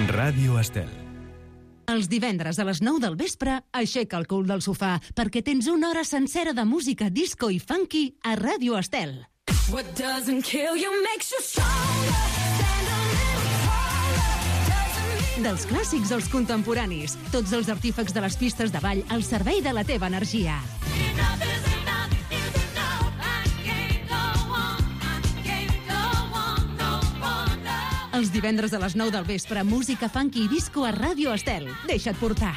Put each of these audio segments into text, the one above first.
Ràdio Estel. Els divendres a les 9 del vespre, aixeca el cul del sofà, perquè tens una hora sencera de música disco i funky a Ràdio Estel. What doesn't kill you makes you stronger. Stand a little taller. Dels clàssics als contemporanis, tots els artífecs de les pistes de ball al servei de la teva energia. Enough is enough is enough. I can't go on. I can't go on no more. Els divendres a les 9 del vespre, música funky i disco a Ràdio Estel. Deixa't portar.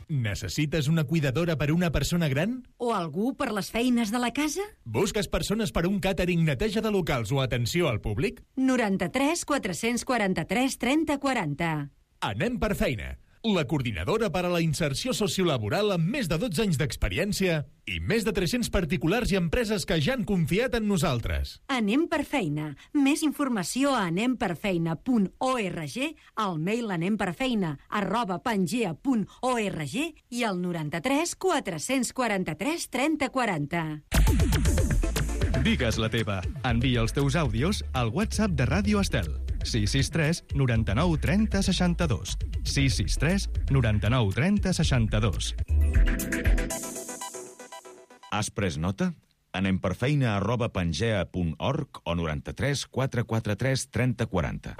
Necessites una cuidadora per una persona gran? O algú per les feines de la casa? Busques persones per un càtering, neteja de locals o atenció al públic? 93 443 30 40. Anem per feina. La coordinadora per a la inserció sociolaboral amb més de 12 anys d'experiència i més de 300 particulars i empreses que ja han confiat en nosaltres. Anem per feina. Més informació a anemperfeina.org, al mail anemperfeina@pangea.org i al 93 443 30 40. Digues la teva. Envia els teus àudios al WhatsApp de Ràdio Estel. 663 99 30 62. 663 99 30 62. Has pres nota? Anem per feina@pangea.org o 93 443 30 40.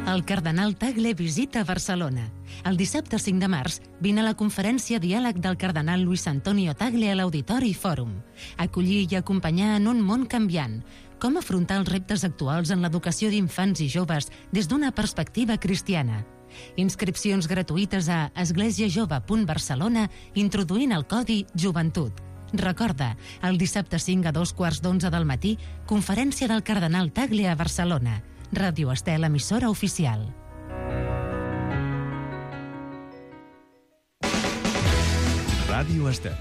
El cardenal Tagle visita Barcelona. El dissabte 5 de març vine a la conferència Diàleg del cardenal Luis Antonio Tagle a l'Auditori Fòrum. Acollir i acompanyar en un món canviant. Com afrontar els reptes actuals en l'educació d'infants i joves des d'una perspectiva cristiana. Inscripcions gratuïtes a esglésiajove.barcelona introduint el codi Joventut. Recorda, el dissabte 5 a 2:15 del matí, conferència del cardenal Tagle a Barcelona. Ràdio Estel, emissora oficial. Ràdio Estel.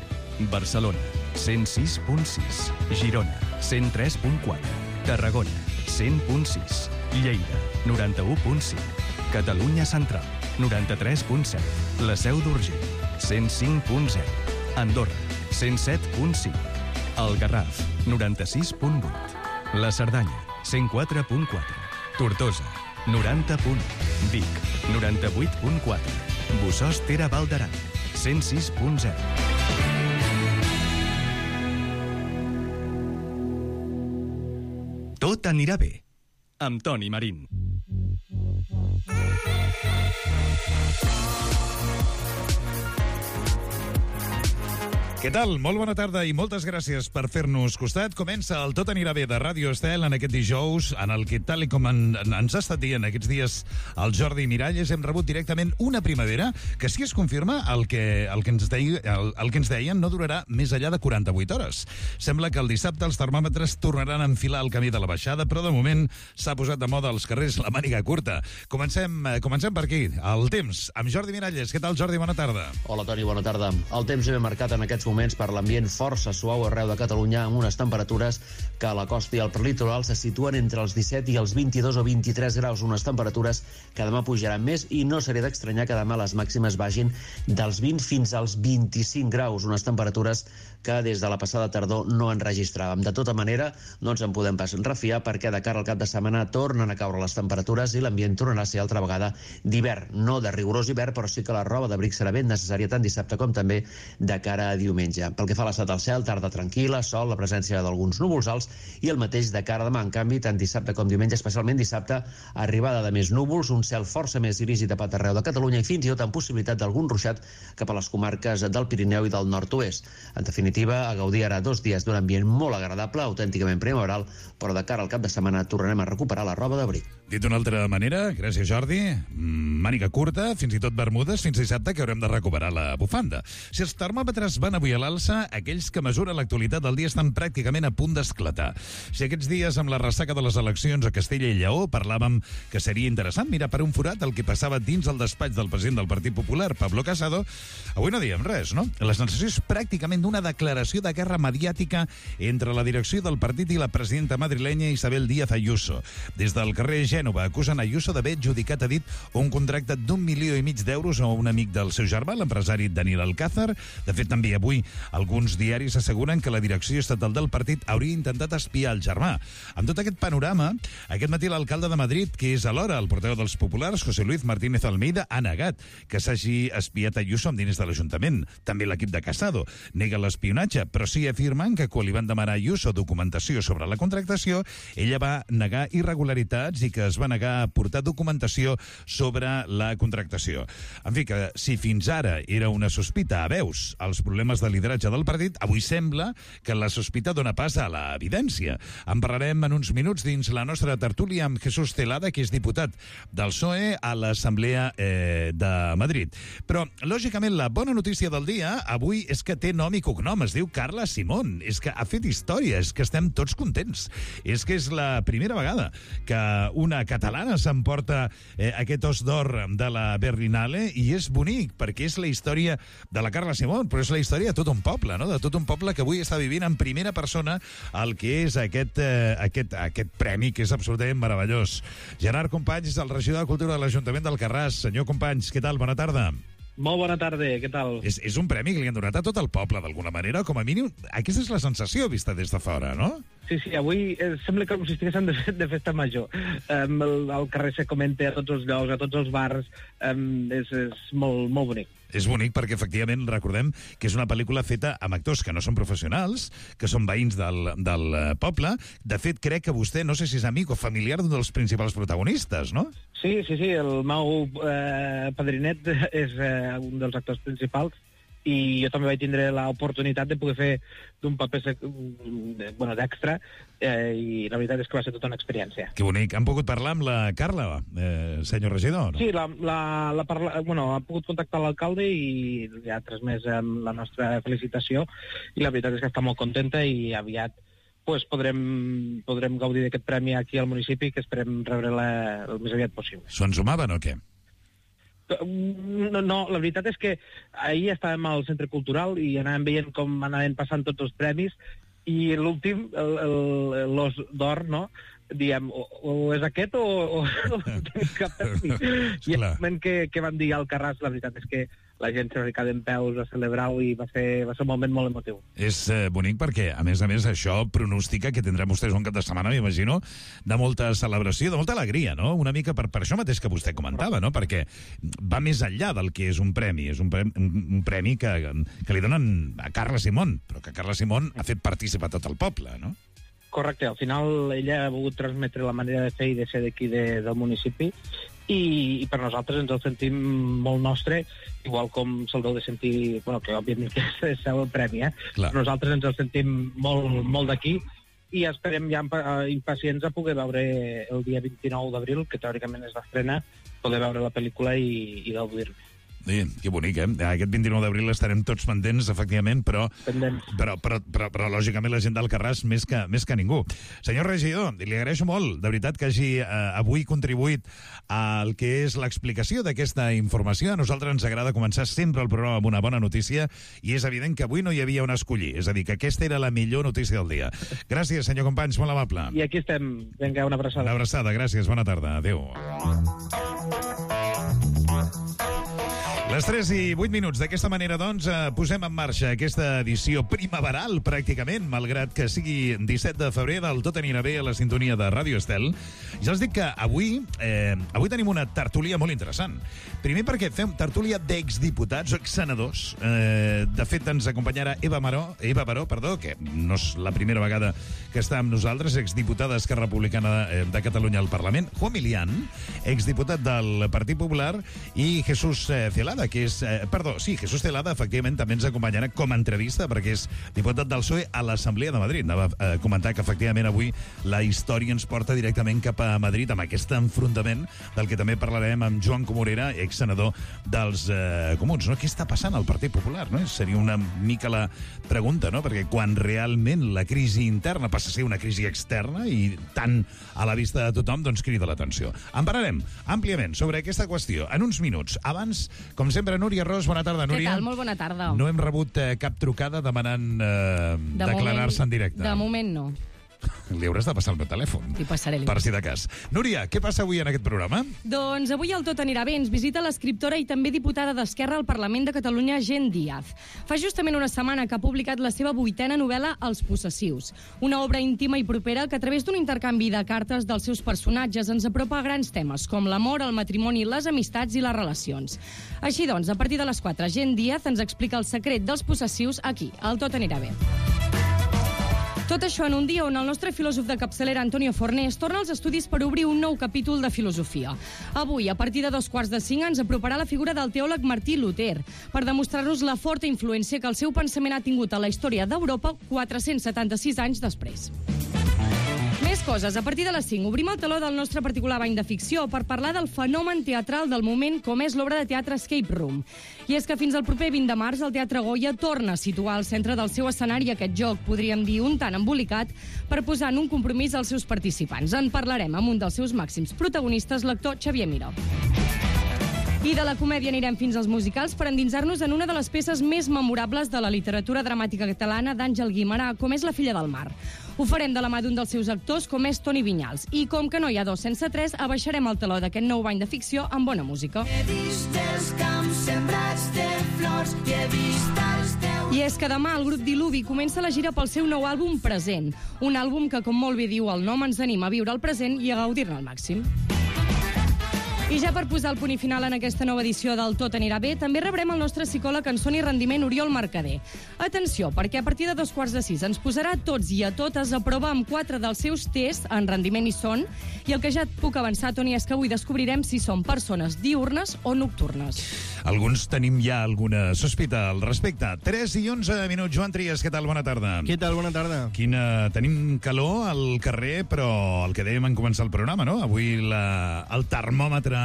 Barcelona, 106.6. Girona, 103.4. Tarragona, 100.6. Lleida, 91.5. Catalunya Central, 93.7. La Seu d'Urgell, 105.0. Andorra, 107.5. El Garraf, 96.8. La Cerdanya, 104.4. Tortosa, 90.1. Vic, 98.4. Bossòst-Tere Val d'Aran, 106.0. Tot anirà bé. Amb Toni Marín. Què tal? Molt bona tarda i moltes gràcies per fer-nos costat. Comença el Tot anirà bé de Ràdio Estel en aquest dijous, en el que, tal com ens ha estat dient aquests dies el Jordi Miralles, hem rebut directament una primavera que, si es confirma, el que ens deien no durarà més enllà de 48 hores. Sembla que el dissabte els termòmetres tornaran a enfilar el camí de la baixada, però de moment s'ha posat de moda als carrers la màniga curta. Comencem per aquí. El temps, amb Jordi Miralles. Què tal, Jordi? Bona tarda. Hola, Toni, bona tarda. El temps ve marcat en aquests moments per l'ambient força suau arreu de Catalunya, amb unes temperatures que a la costa i al prelitoral se situen entre els 17 i els 22 o 23 graus, unes temperatures que demà pujaran més i no seria d'estranyar que demà les màximes vagin dels 20 fins als 25 graus, unes temperatures que des de la passada tardor no en registràvem. De tota manera, no ens en podem pas refiar perquè de cara al cap de setmana tornen a caure les temperatures i l'ambient tornarà a ser altra vegada d'hivern, no de rigorós hivern, però sí que la roba d'abric serà ben necessària tant dissabte com també de cara a diumenge. Pel que fa a l'estat del cel, tarda tranquil·la, sol, la presència d'alguns núvols alts i el mateix de cara a demà. En canvi, tant dissabte com diumenge, especialment dissabte, arribada de més núvols, un cel força més gris i tapat arreu de Catalunya i fins i tot amb possibilitat d'algun ruixat cap a les comarques del Pirineu i del nord-oest. En definitiva, a gaudir ara 2 dies d'un ambient molt agradable, autènticament primaveral, però de cara al cap de setmana tornarem a recuperar la roba d'abric. Dit d'una altra manera, gràcies Jordi, màniga curta, fins i tot bermudes, fins dissabte que haurem de recuperar la bufanda. Si els termòmetres van avui a l'alça, aquells que mesuren l'actualitat del dia estan pràcticament a punt d'esclatar. Si aquests dies amb la ressaca de les eleccions a Castella i Lleó parlàvem que seria interessant mirar per un forat el que passava dins el despatx del president del Partit Popular, Pablo Casado, avui no diem res, no? La sensació és pràcticament d'una de declaració de guerra mediàtica entre la direcció del partit i la presidenta madrilenya Isabel Díaz Ayuso. Des del carrer Gènova acusen Ayuso d'haver adjudicat, ha dit, un contracte d'1,5 milions d'euros a un amic del seu germà, l'empresari Daniel Alcázar. De fet, també avui alguns diaris asseguren que la direcció estatal del partit hauria intentat espiar el germà. Amb tot aquest panorama, aquest matí l'alcalde de Madrid, que és alhora el portaveu dels populars, José Luis Martínez Almeida, ha negat que s'hagi espiat Ayuso amb diners de l'Ajuntament. També l'equip de Casado nega l'espionatge, però sí afirmen que quan li van demanar a Ayuso documentació sobre la contractació, ella va negar irregularitats i que es va negar a portar documentació sobre la contractació. En fi, que si fins ara era una sospita a veus als problemes de lideratge del partit, avui sembla que la sospita dona pas a l'evidència. En parlarem en uns minuts dins la nostra tertúlia amb Jesús Celada, que és diputat del PSOE a l'Assemblea de Madrid. Però, lògicament, la bona notícia del dia avui és que té nom i cognom. Es diu Carla Simón. És que ha fet història, és que estem tots contents. És que és la primera vegada que una catalana s'emporta aquest os d'or de la Berlinale, i és bonic, perquè és la història de la Carla Simón, però és la història de tot un poble, no? De tot un poble que avui està vivint en primera persona el que és aquest premi, que és absolutament meravellós. Gerard Companys, el regidor de Cultura de l'Ajuntament d'Alcarràs. Senyor Companys, què tal? Bona tarda. Molt bona tarda, què tal? És un premi que li han donat a tot el poble, d'alguna manera, com a mínim. Aquesta és la sensació vista des de fora, no? Sí, avui sembla com si estiguéssim de festa major. El carrer se comenta a tots els llocs, a tots els bars, és molt, molt bonic. És bonic perquè, efectivament, recordem que és una pel·lícula feta amb actors que no són professionals, que són veïns del poble. De fet, crec que vostè, no sé si és amic o familiar d'un dels principals protagonistes, no? Sí, el meu padrinet és un dels actors principals, i jo també vaig tindre l'oportunitat de poder fer d'un paper d'extra, i la veritat és que va ser tota una experiència. Que bonic. Han pogut parlar amb la Carla, senyor regidor? No? Sí, ha pogut contactar l'alcalde i li ha transmès la nostra felicitació, i la veritat és que està molt contenta, i aviat podrem gaudir d'aquest premi aquí al municipi, que esperem rebre el més aviat possible. S'ho ensumaven o què? No, la veritat és que ahir estàvem al Centre Cultural i anàvem veient com anaven passant tots els premis, i l'últim, l'os d'or, no? Diem, o és aquest o tenim cap premi. I el moment que van dir al Carràs, la veritat és que la gent s'ha ficat en peus a celebrar-ho, i va ser un moment molt emotiu. És bonic perquè, a més, això pronostica que tindrem vostès un cap de setmana, m'imagino, de molta celebració, de molta alegria, no? Una mica per això mateix que vostè comentava, no? Perquè va més enllà del que és un premi. És un premi que li donen a Carla Simón, però que Carla Simón ha fet participar tot el poble, no? Correcte, al final ella ha volgut transmetre la manera de fer i de ser d'aquí del municipi, i per nosaltres ens el sentim molt nostre, igual com se'l deu de sentir, que òbviament que és el seu premi, Clar. Nosaltres ens el sentim molt d'aquí, i esperem ja impacients a poder veure el dia 29 d'abril, que teòricament és l'estrena, poder veure la pel·lícula i gaudir-ne. Sí, que bonic, Aquest 29 d'abril estarem tots pendents, efectivament, però lògicament la gent d'Alcarràs més que ningú. Senyor regidor, li agraeixo molt, de veritat, que hagi avui contribuït al que és l'explicació d'aquesta informació. A nosaltres ens agrada començar sempre el programa amb una bona notícia, i és evident que avui no hi havia on escollir, és a dir, que aquesta era la millor notícia del dia. Gràcies, senyor Companys, molt amable. I aquí estem. Vinga, una abraçada. Una abraçada, gràcies, bona tarda. Adéu. Les 3 i 8 minuts. D'aquesta manera, doncs, posem en marxa aquesta edició primaveral, pràcticament, malgrat que sigui 17 de febrer, del Tot anirà bé a la sintonia de Ràdio Estel. Ja els dic que avui tenim una tertúlia molt interessant. Primer perquè fem tertúlia d'exdiputats o exsenadors. De fet, ens acompanyarà Eva Baró, que no és la primera vegada que està amb nosaltres, exdiputada d'Esquerra Republicana de Catalunya al Parlament, Juan Milián, exdiputat del Partit Popular, i Jesús Celada, que és... Jesús Celada, efectivament, també ens acompanyarà com a entrevista, perquè és diputat del PSOE a l'Assemblea de Madrid. Anava a comentar que, efectivament, avui la història ens porta directament cap a Madrid, amb aquest enfrontament del que també parlarem amb Joan Comorera, exsenador dels Comuns. No? Què està passant al Partit Popular? No? Seria una mica la pregunta, no? Perquè quan realment la crisi interna passa a ser una crisi externa i tan a la vista de tothom, doncs crida l'atenció. En parlarem àmpliament sobre aquesta qüestió en uns minuts. Abans, com sempre, Núria Ros. Bona tarda, Núria. Què tal? Molt bona tarda. No hem rebut cap trucada demanant declarar-se en directe. De moment no. Li hauràs de passar el meu telèfon. Li passaré. Per si de cas. Núria, què passa avui en aquest programa? Doncs avui el Tot anirà bé. Ens visita l'escriptora i també diputada d'Esquerra al Parlament de Catalunya, Gent Díaz. Fa justament una setmana que ha publicat la seva 8a novel·la Els possessius. Una obra íntima i propera que a través d'un intercanvi de cartes dels seus personatges ens apropa a grans temes com l'amor, el matrimoni, les amistats i les relacions. Així doncs, a partir de les 4, Gent Díaz ens explica el secret dels possessius aquí, al Tot anirà bé. Tot això en un dia on el nostre filòsof de capçalera, Antonio Fornés, torna als estudis per obrir un nou capítol de filosofia. Avui, a partir de 4:45, ens aproparà la figura del teòleg Martí Luter per demostrar-nos la forta influència que el seu pensament ha tingut a la història d'Europa 476 anys després. Més coses. A partir de les 5 obrim el teló del nostre particular bany de ficció per parlar del fenomen teatral del moment com és l'obra de teatre Escape Room. I és que fins al proper 20 de març el Teatre Goya torna a situar al centre del seu escenari aquest joc, podríem dir un tant embolicat, per posar en un compromís als seus participants. En parlarem amb un dels seus màxims protagonistes, l'actor Xavier Miró. I de la comèdia anirem fins als musicals per endinsar-nos en una de les peces més memorables de la literatura dramàtica catalana d'Àngel Guimerà, com és La filla del mar. Ho farem de la mà d'un dels seus actors, com és Toni Vinyals. I com que no hi ha dos sense tres, abaixarem el teló d'aquest nou bany de ficció amb bona música. He vist els camps sembrats de flors i he vist els teus... I és que demà el grup Diluvi comença la gira pel seu nou àlbum Present. Un àlbum que, com molt bé diu el nom, ens anima a viure el present i a gaudir-ne al màxim. I ja per posar el punt i final en aquesta nova edició del Tot anirà bé, també rebrem el nostre psicòleg en son i rendiment Oriol Mercader. Atenció, perquè a partir de 5:45 ens posarà a tots i a totes a prova amb 4 dels seus tests en rendiment i son, i el que ja et puc avançar, Toni, és que avui descobrirem si són persones diürnes o nocturnes. Alguns tenim ja alguna sospita al respecte. 3 i 11 minuts. Joan Trias, què tal? Bona tarda. Què tal? Bona tarda. Tenim calor al carrer, però el que dèiem en començar el programa, no? Avui el termòmetre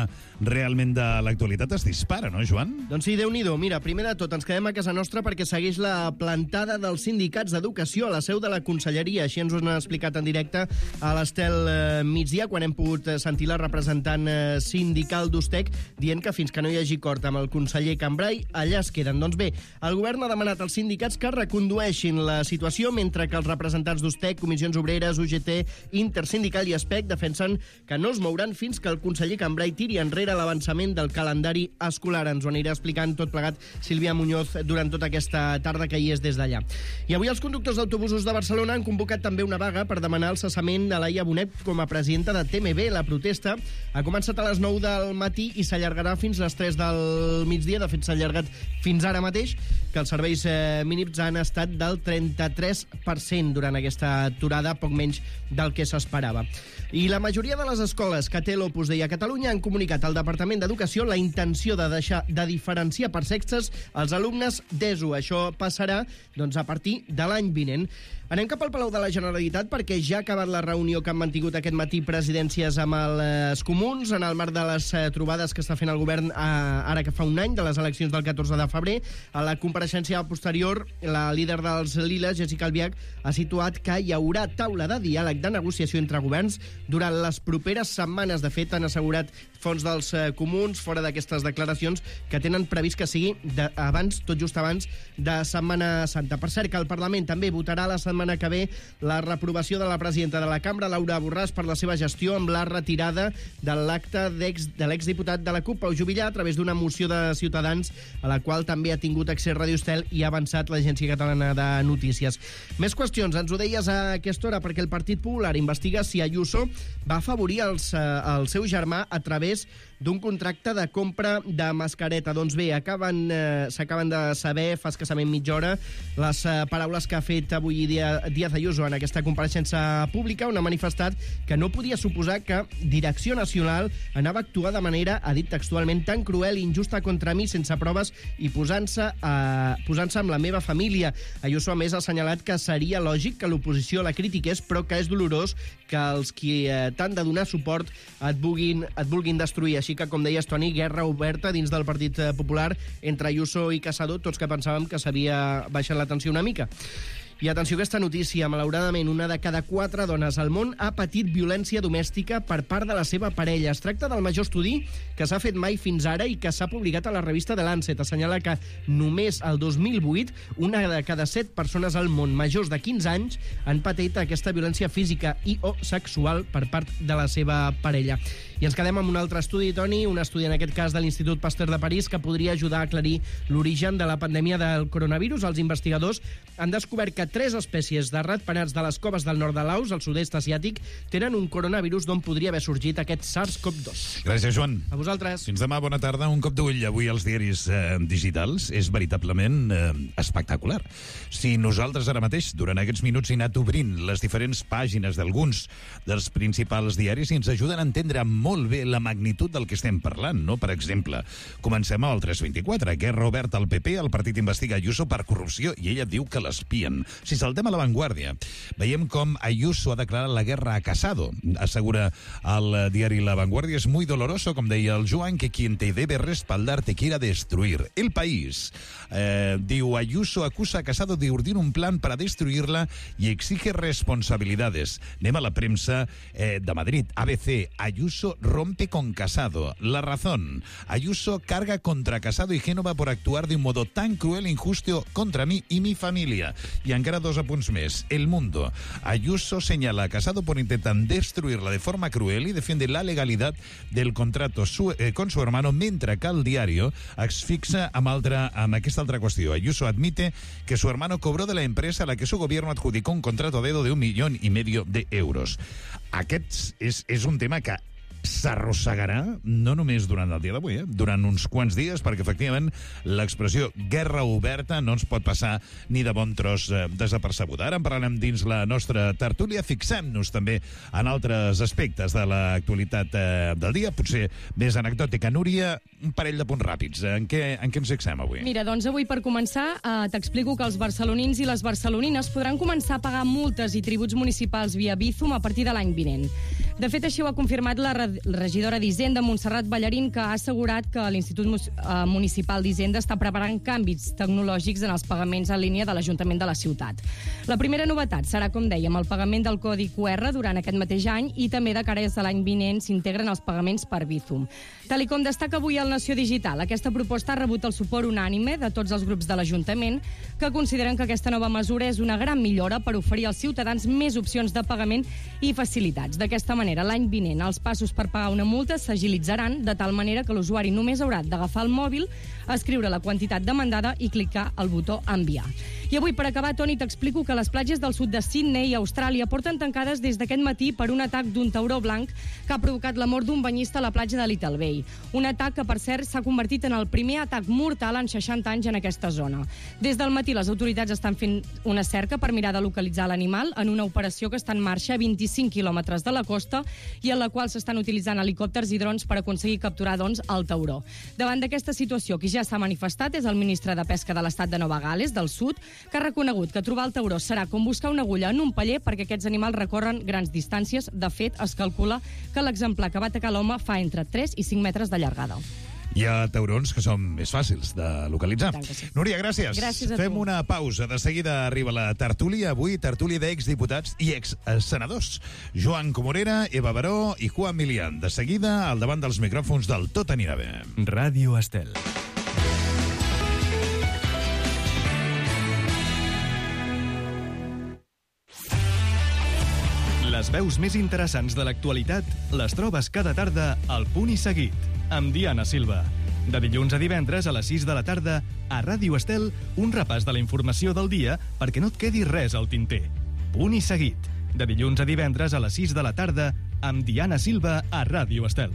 realment de l'actualitat es dispara, no, Joan? Doncs sí, Déu-n'hi-do. Mira, primer de tot, ens quedem a casa nostra perquè segueix la plantada dels sindicats d'educació a la seu de la Conselleria. Així ens ho han explicat en directe a l'Estel migdia, quan hem pogut sentir la representant sindical d'Ustec dient que fins que no hi hagi acord amb el conseller Cambray, allà es queden. Doncs bé, el govern ha demanat als sindicats que recondueixin la situació, mentre que els representants d'Ustec, Comissions Obreres, UGT, Intersindical i Espec defensen que no es mouran fins que el conseller Cambray tiri enrere l'avançament del calendari escolar. Ens ho anirà explicant tot plegat Sílvia Muñoz durant tota aquesta tarda que hi és des d'allà. I avui els conductors d'autobusos de Barcelona han convocat també una vaga per demanar el cessament de Laia Bonet com a presidenta de TMB. La protesta ha començat a les 9 del matí i s'allargarà fins a les 3 del migdia. De fet, s'ha allargat fins ara mateix, que els serveis mínims han estat del 33% durant aquesta aturada, poc menys del que s'esperava. I la majoria de les escoles que té l'Opus Dei a Catalunya han comunicat al Departament d'Educació la intenció de deixar de diferenciar per sexes els alumnes d'ESO. Això passarà a partir de l'any vinent. Anem cap al Palau de la Generalitat perquè ja ha acabat la reunió que han mantingut aquest matí presidències amb els comuns en el marc de les trobades que està fent el govern ara que fa un any de les eleccions del 14 de febrer. A la compareixença posterior, la líder dels Liles, Jéssica Albiach, ha situat que hi haurà taula de diàleg de negociació entre governs durant les properes setmanes. De fet, han assegurat fons dels comuns, fora d'aquestes declaracions, que tenen previst que sigui abans, tot just abans de Setmana Santa. Per cert, que el Parlament també votarà la setmana que ve la reprovació de la presidenta de la Cambra, Laura Borràs, per la seva gestió amb la retirada de l'acte de l'exdiputat de la CUP, Pau Juvillà, a través d'una moció de Ciutadans, a la qual també ha tingut accés Radio Estel i ha avançat l'Agència Catalana de Notícies. Més qüestions, ens ho deies a aquesta hora, perquè el Partit Popular investiga si Ayuso va afavorir el seu germà a través d'un contracte de compra de mascareta. Doncs bé, s'acaben de saber fa escassament mitja hora les paraules que ha fet avui Díaz Ayuso en aquesta compareixença pública, on ha manifestat que no podia suposar que Direcció Nacional anava a actuar de manera, ha dit textualment, tan cruel i injusta contra mi sense proves i posant-se amb la meva família. Ayuso, a més, ha assenyalat que seria lògic que l'oposició la critiqués, però que és dolorós que els qui t'han de donar suport et vulguin destruir. Així que, com deies, Toni, guerra oberta dins del Partit Popular entre Ayuso i Casado, tots que pensàvem que s'havia baixat la tensió una mica. I atenció a aquesta notícia. Malauradament, una de cada 4 dones al món ha patit violència domèstica per part de la seva parella. Es tracta del major estudi que s'ha fet mai fins ara i que s'ha publicat a la revista The Lancet. Assenyala que només el 2008 una de cada 7 persones al món majors de 15 anys han patit aquesta violència física i o sexual per part de la seva parella. I ens quedem amb un altre estudi, Toni, un estudi en aquest cas de l'Institut Pasteur de París que podria ajudar a aclarir l'origen de la pandèmia del coronavirus. Els investigadors han descobert que 3 espècies de ratpenats de les coves del nord de Laos, al sud-est asiàtic, tenen un coronavirus d'on podria haver sorgit aquest SARS-CoV-2. Gràcies, Joan. A vosaltres. Fins demà, bona tarda. Un cop d'ull avui als diaris digitals és veritablement espectacular. Si nosaltres ara mateix, durant aquests minuts, hem anat obrint les diferents pàgines d'alguns dels principals diaris i ens ajuden a entendre molt bé la magnitud del que estem parlant, no? Per exemple, comencem amb el 324. Guerra oberta al PP, el partit investiga Ayuso per corrupció i ella diu que l'espien. Si saltem a La Vanguardia, veiem com Ayuso ha declarat la guerra a Casado. Assegura al diari La Vanguardia, es muy doloroso, com deia el Joan, que quien te debe respaldar te quiera destruir. El País diu, Ayuso acusa a Casado de urdir un plan para destruirla y exige responsabilidades. Anem a la premsa de Madrid. ABC, Ayuso rompe con Casado. La Razón, Ayuso carga contra Casado y Génova por actuar de un modo tan cruel e injusto contra mí y mi familia. Y encara 2 apunts més. El Mundo, Ayuso señala a Casado por intentar destruirla de forma cruel y defiende la legalidad del contrato con su hermano, mentre que el Diario es fixa amb aquesta altra qüestió. Ayuso admite que su hermano cobró de la empresa a la que su gobierno adjudicó un contrato a dedo de 1,5 millones de euros. Aquest és un tema que s'arrossegarà no només durant el dia d'avui, durant uns quants dies, perquè efectivament l'expressió guerra oberta no ens pot passar ni de bon tros desapercebuda. Ara en parlarem dins la nostra tertúlia. Fixem-nos també en altres aspectes de l'actualitat del dia, potser més anecdòtica. Núria, un parell de punts ràpids. En què ens fixem avui? Mira, doncs avui per començar t'explico que els barcelonins i les barcelonines podran començar a pagar multes i tributs municipals via Bizum a partir de l'any vinent. De fet, així ho ha confirmat la regidora d'Hisenda, Montserrat Ballarín, que ha assegurat que l'Institut Municipal d'Hisenda està preparant canvis tecnològics en els pagaments en línia de l'Ajuntament de la ciutat. La primera novetat serà, com dèiem, el pagament del codi QR durant aquest mateix any i també de cara a l'any vinent s'integren els pagaments per Bizum. Tal com destaca avui el Nació Digital, aquesta proposta ha rebut el suport unànime de tots els grups de l'Ajuntament, que consideren que aquesta nova mesura és una gran millora per oferir als ciutadans més opcions de pagament i facilitats. D'aquesta manera, l'any vinent, els passos per pagar una multa s'agilitzaran de tal manera que l'usuari només haurà d'agafar el mòbil, escriure la quantitat demandada i clicar el botó enviar. I avui, per acabar, Toni, t'explico que les platges del sud de Sydney, Austràlia, porten tancades des d'aquest matí per un atac d'un tauró blanc que ha provocat la mort d'un banyista a la platja de Little Bay. Un atac que, per cert, s'ha convertit en el primer atac mortal en 60 anys en aquesta zona. Des del matí, les autoritats estan fent una cerca per mirar de localitzar l'animal en una operació que està en marxa a 25 quilòmetres de la costa i en la qual s'estan utilitzant helicòpters i drons per aconseguir capturar, doncs, el tauró. Davant d'aquesta situació, qui ja s'ha manifestat és el ministre de Pesca de l'estat de Nova Gal·les, del sud, que ha reconegut que trobar el tauró serà com buscar una agulla en un paller perquè aquests animals recorren grans distàncies. De fet, es calcula que l'exemplar que va atacar l'home fa entre 3 i 5 metres de llargada. Hi ha taurons que són més fàcils de localitzar. Sí. Núria, gràcies. Gràcies a Fem tu. una pausa. De seguida arriba la tertúlia. Avui, tertúlia d'exdiputats i exsenadors. Joan Comorera, Eva Baró i Juan Milián. De seguida, al davant dels micròfons del Tot anirà bé. Ràdio Estel. Les veus més interessants de l'actualitat les trobes cada tarda al Punt i Seguit, amb Diana Silva. De dilluns a divendres a les 6 de la tarda, a Ràdio Estel, un repàs de la informació del dia perquè no et quedi res al tinter. Punt i Seguit. De dilluns a divendres a les 6 de la tarda, amb Diana Silva a Ràdio Estel.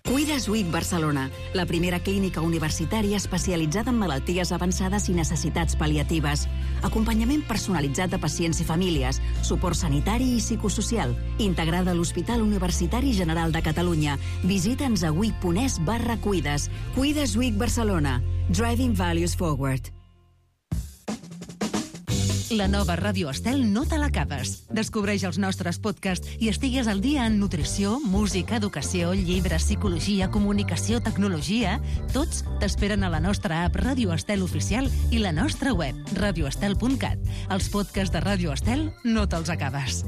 Cuides WIC Barcelona, la primera clínica universitària especialitzada en malalties avançades i necessitats pal·liatives. Acompanyament personalitzat de pacients i famílies, suport sanitari i psicosocial, integrada a l'Hospital Universitari General de Catalunya. Visita'ns a wic.es/cuides. Cuides WIC Barcelona. Driving Values Forward. La nova Ràdio Estel no te l'acabes. Descobreix els nostres podcasts i estigues al dia en nutrició, música, educació, llibres, psicologia, comunicació, tecnologia. Tots t'esperen a la nostra app Ràdio Estel Oficial i la nostra web, radioestel.cat. Els podcasts de Ràdio Estel no te'ls acabes.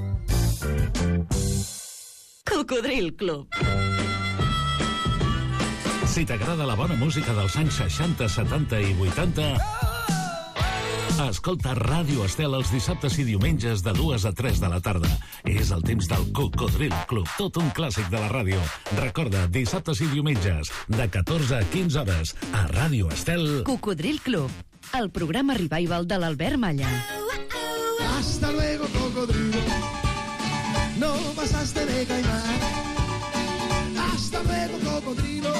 Cocodril Club. Si t'agrada la bona música dels anys 60, 70 i 80... Escolta Ràdio Estel els dissabtes i diumenges de 2 a 3 de la tarda. És el temps del Cocodril Club, tot un clàssic de la ràdio. Recorda, dissabtes i diumenges, de 14 a 15 hores, a Ràdio Estel. Cocodril Club, el programa revival de l'Albert Malla. Hasta luego, cocodrilo. No pasaste de caimán. Hasta luego, cocodrilo.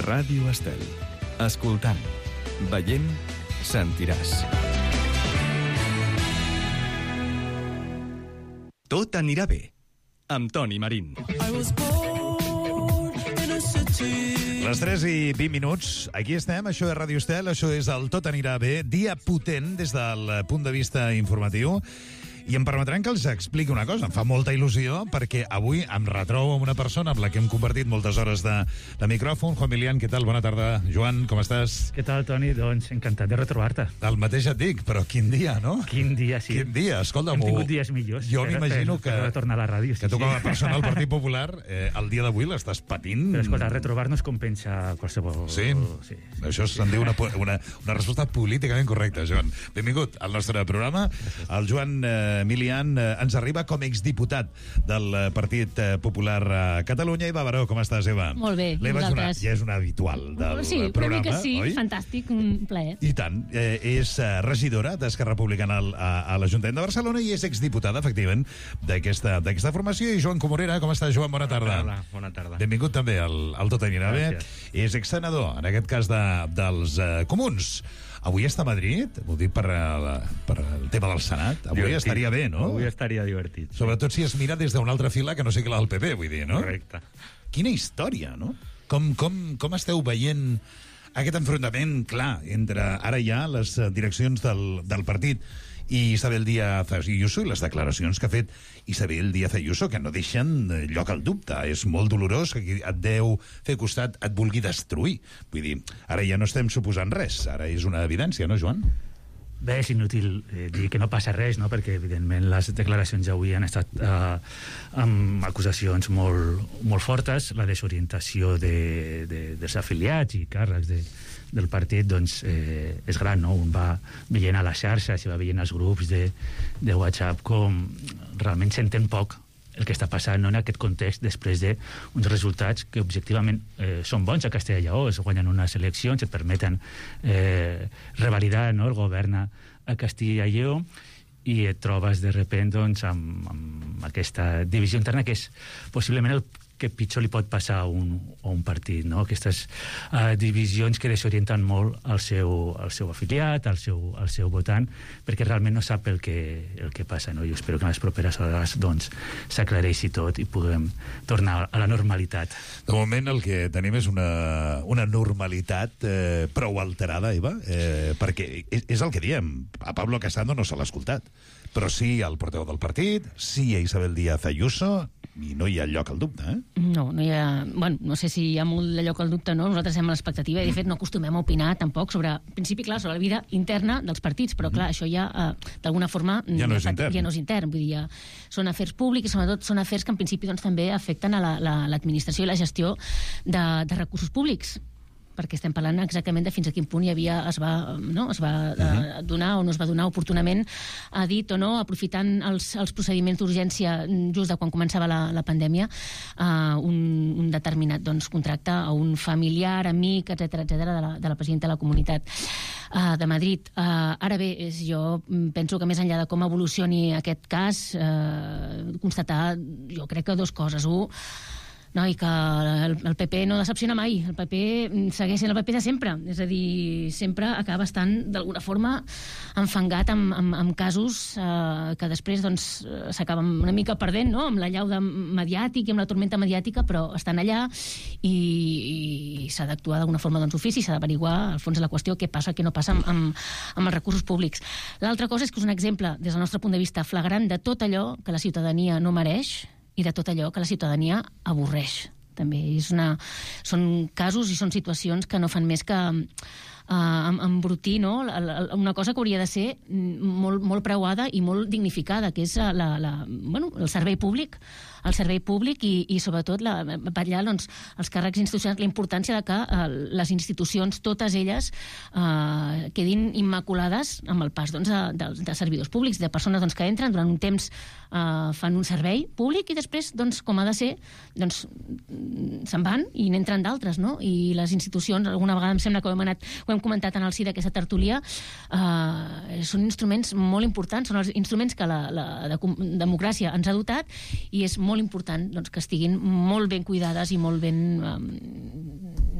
Ràdio Estel. Escoltant, veient, sentiràs. Tot anirà bé, amb Toni Marín. Les 3 i 20 minuts, aquí estem, això és Ràdio Estel, això és el Tot anirà bé, dia potent des del punt de vista informatiu. I em permetran que els expliqui una cosa. Em fa molta il·lusió perquè avui em retrobo amb una persona amb la que hem compartit moltes hores de micròfon. Juan Milián, què tal? Bona tarda. Joan, com estàs? Què tal, Toni? Doncs encantat de retrobar-te. El mateix et dic, però quin dia, no? Quin dia, sí. Quin dia, escolta. Hem tingut dies millors. Jo m'imagino que... Per retornar a la ràdio. Que tu com a persona del Partit Popular, el dia d'avui l'estàs patint... Però escolta, retrobar-nos compensa qualsevol... Sí? Això se'n diu una resposta políticament correcta, Joan. Benvingut al nostre programa. El Joan Milián ens arriba com exdiputat del Partit Popular a Catalunya. Eva Baró, com estàs, Eva? Molt bé, vosaltres? Ja és una habitual del programa, una mica sí, oi? fantàstic, un plaer. I tant. És regidora d'Esquerra Republicana a l'Ajuntament de Barcelona i és exdiputada, efectivament, d'aquesta formació. I Joan Comorera, com estàs, Joan? Bona tarda. Hola, bona tarda. Benvingut també al Tot anirà bé. És exsenador, en aquest cas dels Comuns. Avui està a Madrid, ho dic per el tema del Senat. Avui divertit. Estaria bé, no? Avui estaria divertit. Sobretot si es mira des d'una altra fila que no sé què la del PP, vull dir, no? Correcte. Quina història, no? Com esteu veient aquest enfrontament clar entre ara ja les direccions del partit i Isabel Díaz Ayuso i les declaracions que ha fet Isabel Díaz Ayuso, que no deixen lloc al dubte. És molt dolorós que et deu fer costat, et vulgui destruir. Vull dir, ara ja no estem suposant res, ara és una evidència, no, Joan? Bé, és inútil dir que no passa res, no? Perquè, evidentment, les declaracions d'avui han estat amb acusacions molt fortes. La desorientació dels afiliats i càrrecs del partit doncs, és gran, no? Un va veient a les xarxes i va veient els grups de WhatsApp com realment s'entén poc el que està passant, no? En aquest context, després d'uns resultats que objectivament són bons a Castella i Lleó, es guanyen unes eleccions, et permeten revalidar, no? El govern a Castella i Lleó, i et trobes de sobte doncs, amb aquesta divisió interna que és possiblement el que pitjor li pot passar a un partit, no? Aquestes divisions que desorienten molt el seu afiliat, el seu votant, perquè realment no sap el que passa, no? Jo espero que en les properes hores doncs, s'aclareixi tot i puguem tornar a la normalitat. De moment el que tenim és una normalitat prou alterada, Eva, perquè és el que diem. A Pablo Casado no se l'ha escoltat, però sí al portaveu del partit, sí a Isabel Díaz Ayuso, i no hi ha lloc al dubte, No hi ha... Bueno, no sé si hi ha molt de lloc al dubte, no? Nosaltres estem a l'expectativa i, de fet, no acostumem a opinar tampoc sobre, en principi, clar, sobre la vida interna dels partits, però, clar, això ja, d'alguna forma... Ja no és intern. Ja no és intern, vull dir, són afers públics i, sobretot, són afers que, en principi, doncs, també afecten a l'administració i la gestió de recursos públics, perquè estem parlant exactament de fins a quin punt es va donar o no es va donar oportunament, a dit o no, aprofitant els procediments d'urgència just de quan començava la pandèmia, un determinat contracte a un familiar, amic, etc de la presidenta de la Comunitat de Madrid. Ara bé, jo penso que més enllà de com evolucioni aquest cas, constatar, jo crec que dues coses. no, i que el PP no decepciona mai. El PP segueix sent el PP de sempre. És a dir, sempre acaba estant, d'alguna forma, enfangat amb casos que després s'acaben una mica perdent, no?, amb la llauda mediàtica i amb la tormenta mediàtica, però estan allà i s'ha d'actuar d'alguna forma d'ofici, s'ha d'averiguar al fons de la qüestió què passa, què no passa amb els recursos públics. L'altra cosa és que és un exemple, des del nostre punt de vista, flagrant de tot allò que la ciutadania no mereix i de tot allò que la ciutadania avorreix. També són casos i són situacions que no fan més que embrutir, no?, una cosa que hauria de ser molt preuada i molt dignificada, que és el servei públic, i sobretot vetllar els càrrecs institucionals, la importància de que les institucions, totes elles, quedin immaculades amb el pas de servidors públics, de persones que entren durant un temps, fan un servei públic i després, com ha de ser, se'n van i n'entren d'altres, no? I les institucions, alguna vegada em sembla que ho hem comentat en el si d'aquesta tertúlia, són instruments molt importants, són els instruments que la democràcia ens ha dotat, i és molt important que estiguin molt ben cuidades i molt ben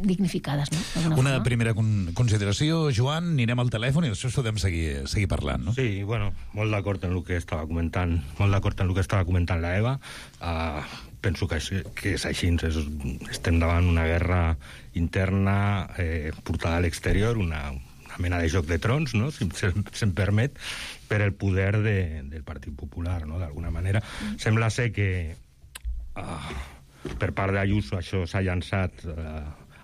dignificades, no? Una primera consideració, Joan, anirem al telèfon i després podem seguir parlant, no? Sí, bueno, molt d'acord en el que estava comentant, la Eva. Penso que és així, estem davant una guerra interna portada a l'exterior, una mena de joc de trons, no?, si se'm permet, per el poder del Partit Popular, no?, d'alguna manera. Sembla ser que per part d'Ayuso això s'ha llançat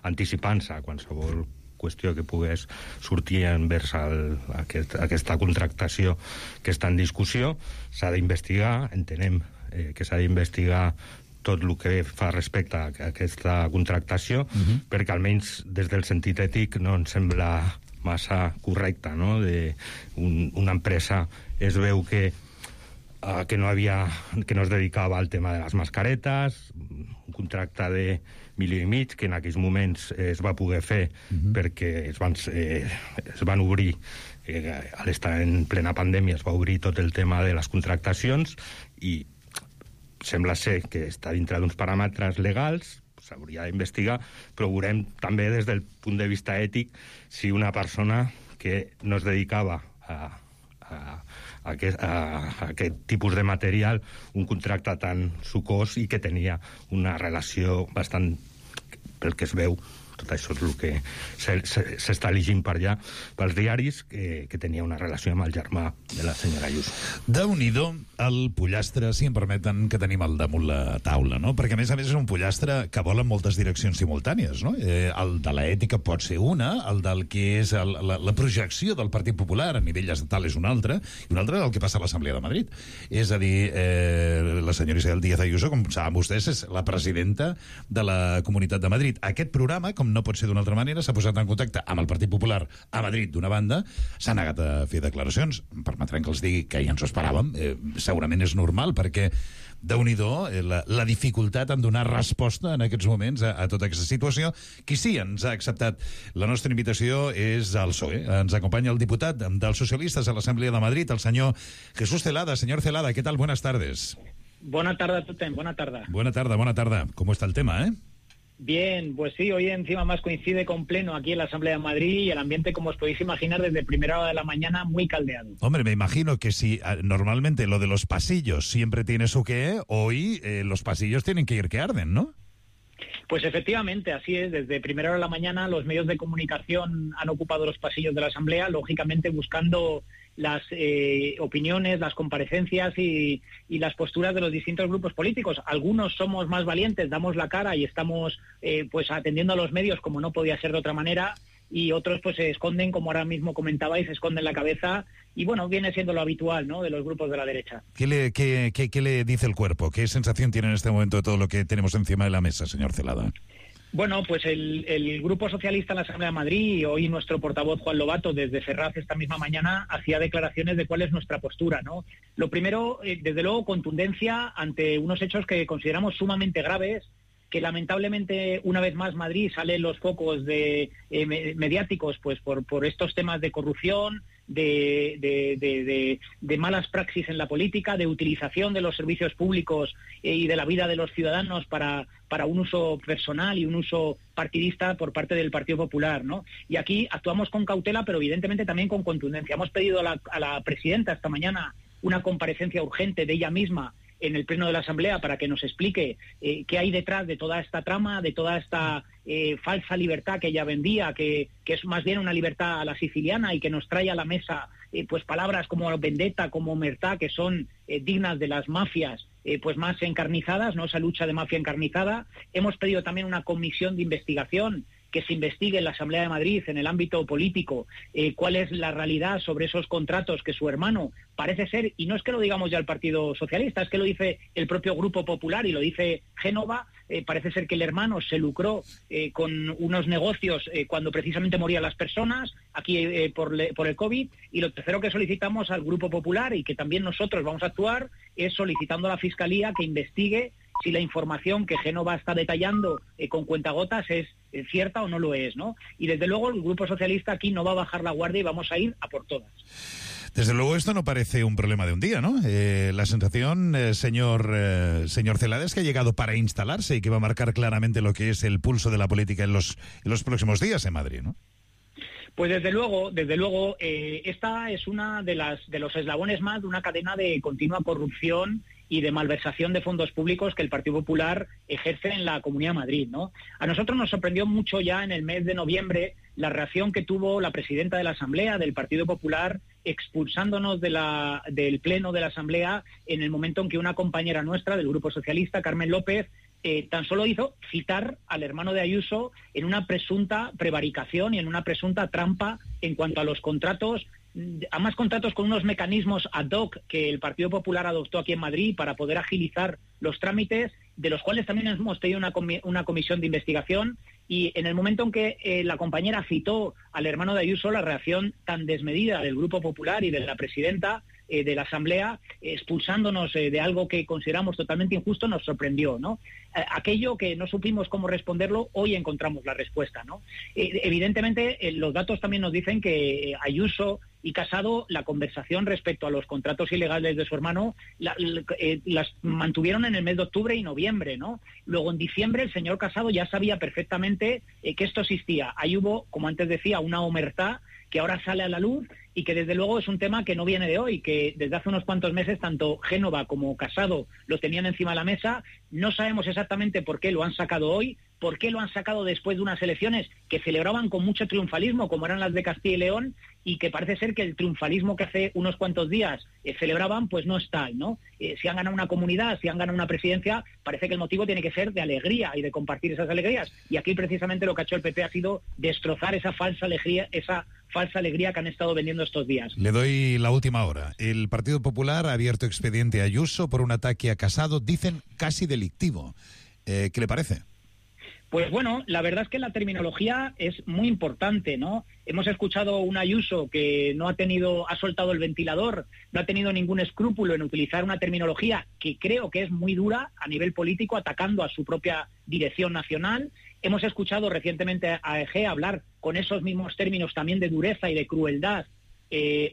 anticipant-se a qualsevol qüestió que pogués sortir envers aquesta contractació que està en discussió. S'ha d'investigar, entenem que s'ha d'investigar tot el que fa respecte a aquesta contractació, perquè almenys des del sentit ètic no ens sembla massa correcta, no?, una empresa es veu que no es dedicava al tema de les mascaretes, un contracte de $1,500,000 que en aquells moments es va poder fer perquè es van obrir, a l'estar en plena pandèmia es va obrir tot el tema de les contractacions i sembla ser que està dintre d'uns paràmetres legals, s'hauria d'investigar, però veurem també des del punt de vista ètic si una persona que no es dedicava a aquest tipus de material, un contracte tan sucós i que tenia una relació bastant, pel que es veu, tot això és el que s'està llegint per allà, pels diaris, que tenia una relació amb el germà de la senyora Ayuso. Déu-n'hi-do el pollastre, si em permeten, que tenim al damunt la taula, no? Perquè, a més és un pollastre que vol en moltes direccions simultànies, no? El de l'ètica pot ser una, el del que és la projecció del Partit Popular a nivell estatal és una altra, i una altra és el que passa a l'Assemblea de Madrid. És a dir, la senyora Isabel Díaz Ayuso, com saben vostès, és la presidenta de la Comunitat de Madrid. Aquest programa, com no pot ser d'una altra manera, s'ha posat en contacte amb el Partit Popular a Madrid, d'una banda, s'ha negat a fer declaracions. Em permetran que els digui que ja ens ho esperàvem, segurament és normal, perquè déu-n'hi-do la dificultat en donar resposta en aquests moments a tota aquesta situació. Qui sí ens ha acceptat la nostra invitació és el PSOE. Ens acompanya el diputat dels socialistes a l'Assemblea de Madrid, el senyor Jesús Celada. Señor Celada, ¿qué tal? Buenas tardes. Buena tarde a todos, buena tarde. Buena tarde. ¿Cómo está el tema, Bien, pues sí, hoy encima más coincide con pleno aquí en la Asamblea de Madrid y el ambiente, como os podéis imaginar, desde primera hora de la mañana muy caldeado. Hombre, me imagino que si normalmente lo de los pasillos siempre tiene su qué, hoy los pasillos tienen que ir que arden, ¿no? Pues efectivamente, así es. Desde primera hora de la mañana los medios de comunicación han ocupado los pasillos de la Asamblea, lógicamente buscando las opiniones, las comparecencias y las posturas de los distintos grupos políticos. Algunos somos más valientes, damos la cara y estamos pues atendiendo a los medios como no podía ser de otra manera, y otros pues se esconden, como ahora mismo comentabais, se esconden la cabeza, y bueno, viene siendo lo habitual, ¿no?, de los grupos de la derecha. ¿Qué le dice el cuerpo? ¿Qué sensación tiene en este momento de todo lo que tenemos encima de la mesa, señor Celada? Bueno, pues el Grupo Socialista en la Asamblea de Madrid, y hoy nuestro portavoz Juan Lobato desde Ferraz esta misma mañana hacía declaraciones de cuál es nuestra postura, ¿no? Lo primero, desde luego, contundencia ante unos hechos que consideramos sumamente graves, que lamentablemente una vez más Madrid sale en los focos mediáticos pues por estos temas de corrupción, de malas praxis en la política, de utilización de los servicios públicos y de la vida de los ciudadanos para un uso personal y un uso partidista por parte del Partido Popular, ¿no? Y aquí actuamos con cautela, pero evidentemente también con contundencia. Hemos pedido a la presidenta esta mañana una comparecencia urgente de ella misma en el Pleno de la Asamblea para que nos explique qué hay detrás de toda esta trama, de toda esta falsa libertad que ella vendía, que es más bien una libertad a la siciliana y que nos trae a la mesa pues palabras como vendetta, como omertá, que son dignas de las mafias pues más encarnizadas, ¿no? Esa lucha de mafia encarnizada. Hemos pedido también una comisión de investigación que se investigue en la Asamblea de Madrid, en el ámbito político, cuál es la realidad sobre esos contratos que su hermano parece ser, y no es que lo digamos ya el Partido Socialista, es que lo dice el propio Grupo Popular y lo dice Génova, parece ser que el hermano se lucró con unos negocios cuando precisamente morían las personas, aquí por el COVID, y lo tercero que solicitamos al Grupo Popular y que también nosotros vamos a actuar es solicitando a la Fiscalía que investigue si la información que Génova está detallando con cuentagotas es cierta o no lo es, ¿no? Y desde luego el Grupo Socialista aquí no va a bajar la guardia y vamos a ir a por todas. Desde luego esto no parece un problema de un día, ¿no? La sensación, señor Celada, es que ha llegado para instalarse y que va a marcar claramente lo que es el pulso de la política en los próximos días en Madrid, ¿no? Pues desde luego, esta es una de los eslabones más de una cadena de continua corrupción y de malversación de fondos públicos que el Partido Popular ejerce en la Comunidad de Madrid, ¿no? A nosotros nos sorprendió mucho ya en el mes de noviembre la reacción que tuvo la presidenta de la Asamblea del Partido Popular expulsándonos del Pleno de la Asamblea en el momento en que una compañera nuestra del Grupo Socialista, Carmen López, tan solo hizo citar al hermano de Ayuso en una presunta prevaricación y en una presunta trampa en cuanto a los contratos, además contratos con unos mecanismos ad hoc que el Partido Popular adoptó aquí en Madrid para poder agilizar los trámites, de los cuales también hemos pedido una comisión de investigación, y en el momento en que la compañera citó al hermano de Ayuso, la reacción tan desmedida del Grupo Popular y de la presidenta de la Asamblea, expulsándonos de algo que consideramos totalmente injusto, nos sorprendió, ¿no? Aquello que no supimos cómo responderlo, hoy encontramos la respuesta, ¿no? Evidentemente, los datos también nos dicen que Ayuso y Casado, la conversación respecto a los contratos ilegales de su hermano, las mantuvieron en el mes de octubre y noviembre, ¿no? Luego, en diciembre, el señor Casado ya sabía perfectamente que esto existía. Ahí hubo, como antes decía, una omertá que ahora sale a la luz y que desde luego es un tema que no viene de hoy, que desde hace unos cuantos meses tanto Génova como Casado lo tenían encima de la mesa. No sabemos exactamente por qué lo han sacado hoy, por qué lo han sacado después de unas elecciones que celebraban con mucho triunfalismo, como eran las de Castilla y León, y que parece ser que el triunfalismo que hace unos cuantos días celebraban, pues no está, ¿no? Si han ganado una comunidad, si han ganado una presidencia, parece que el motivo tiene que ser de alegría y de compartir esas alegrías. Y aquí precisamente lo que ha hecho el PP ha sido destrozar esa falsa alegría que han estado vendiendo estos días. Le doy la última hora. El Partido Popular ha abierto expediente a Ayuso por un ataque a Casado, dicen casi delictivo. ¿Qué le parece? Pues bueno, la verdad es que la terminología es muy importante, ¿no? Hemos escuchado un Ayuso que ha soltado el ventilador, no ha tenido ningún escrúpulo en utilizar una terminología que creo que es muy dura a nivel político, atacando a su propia dirección nacional. Hemos escuchado recientemente a Egea hablar con esos mismos términos también de dureza y de crueldad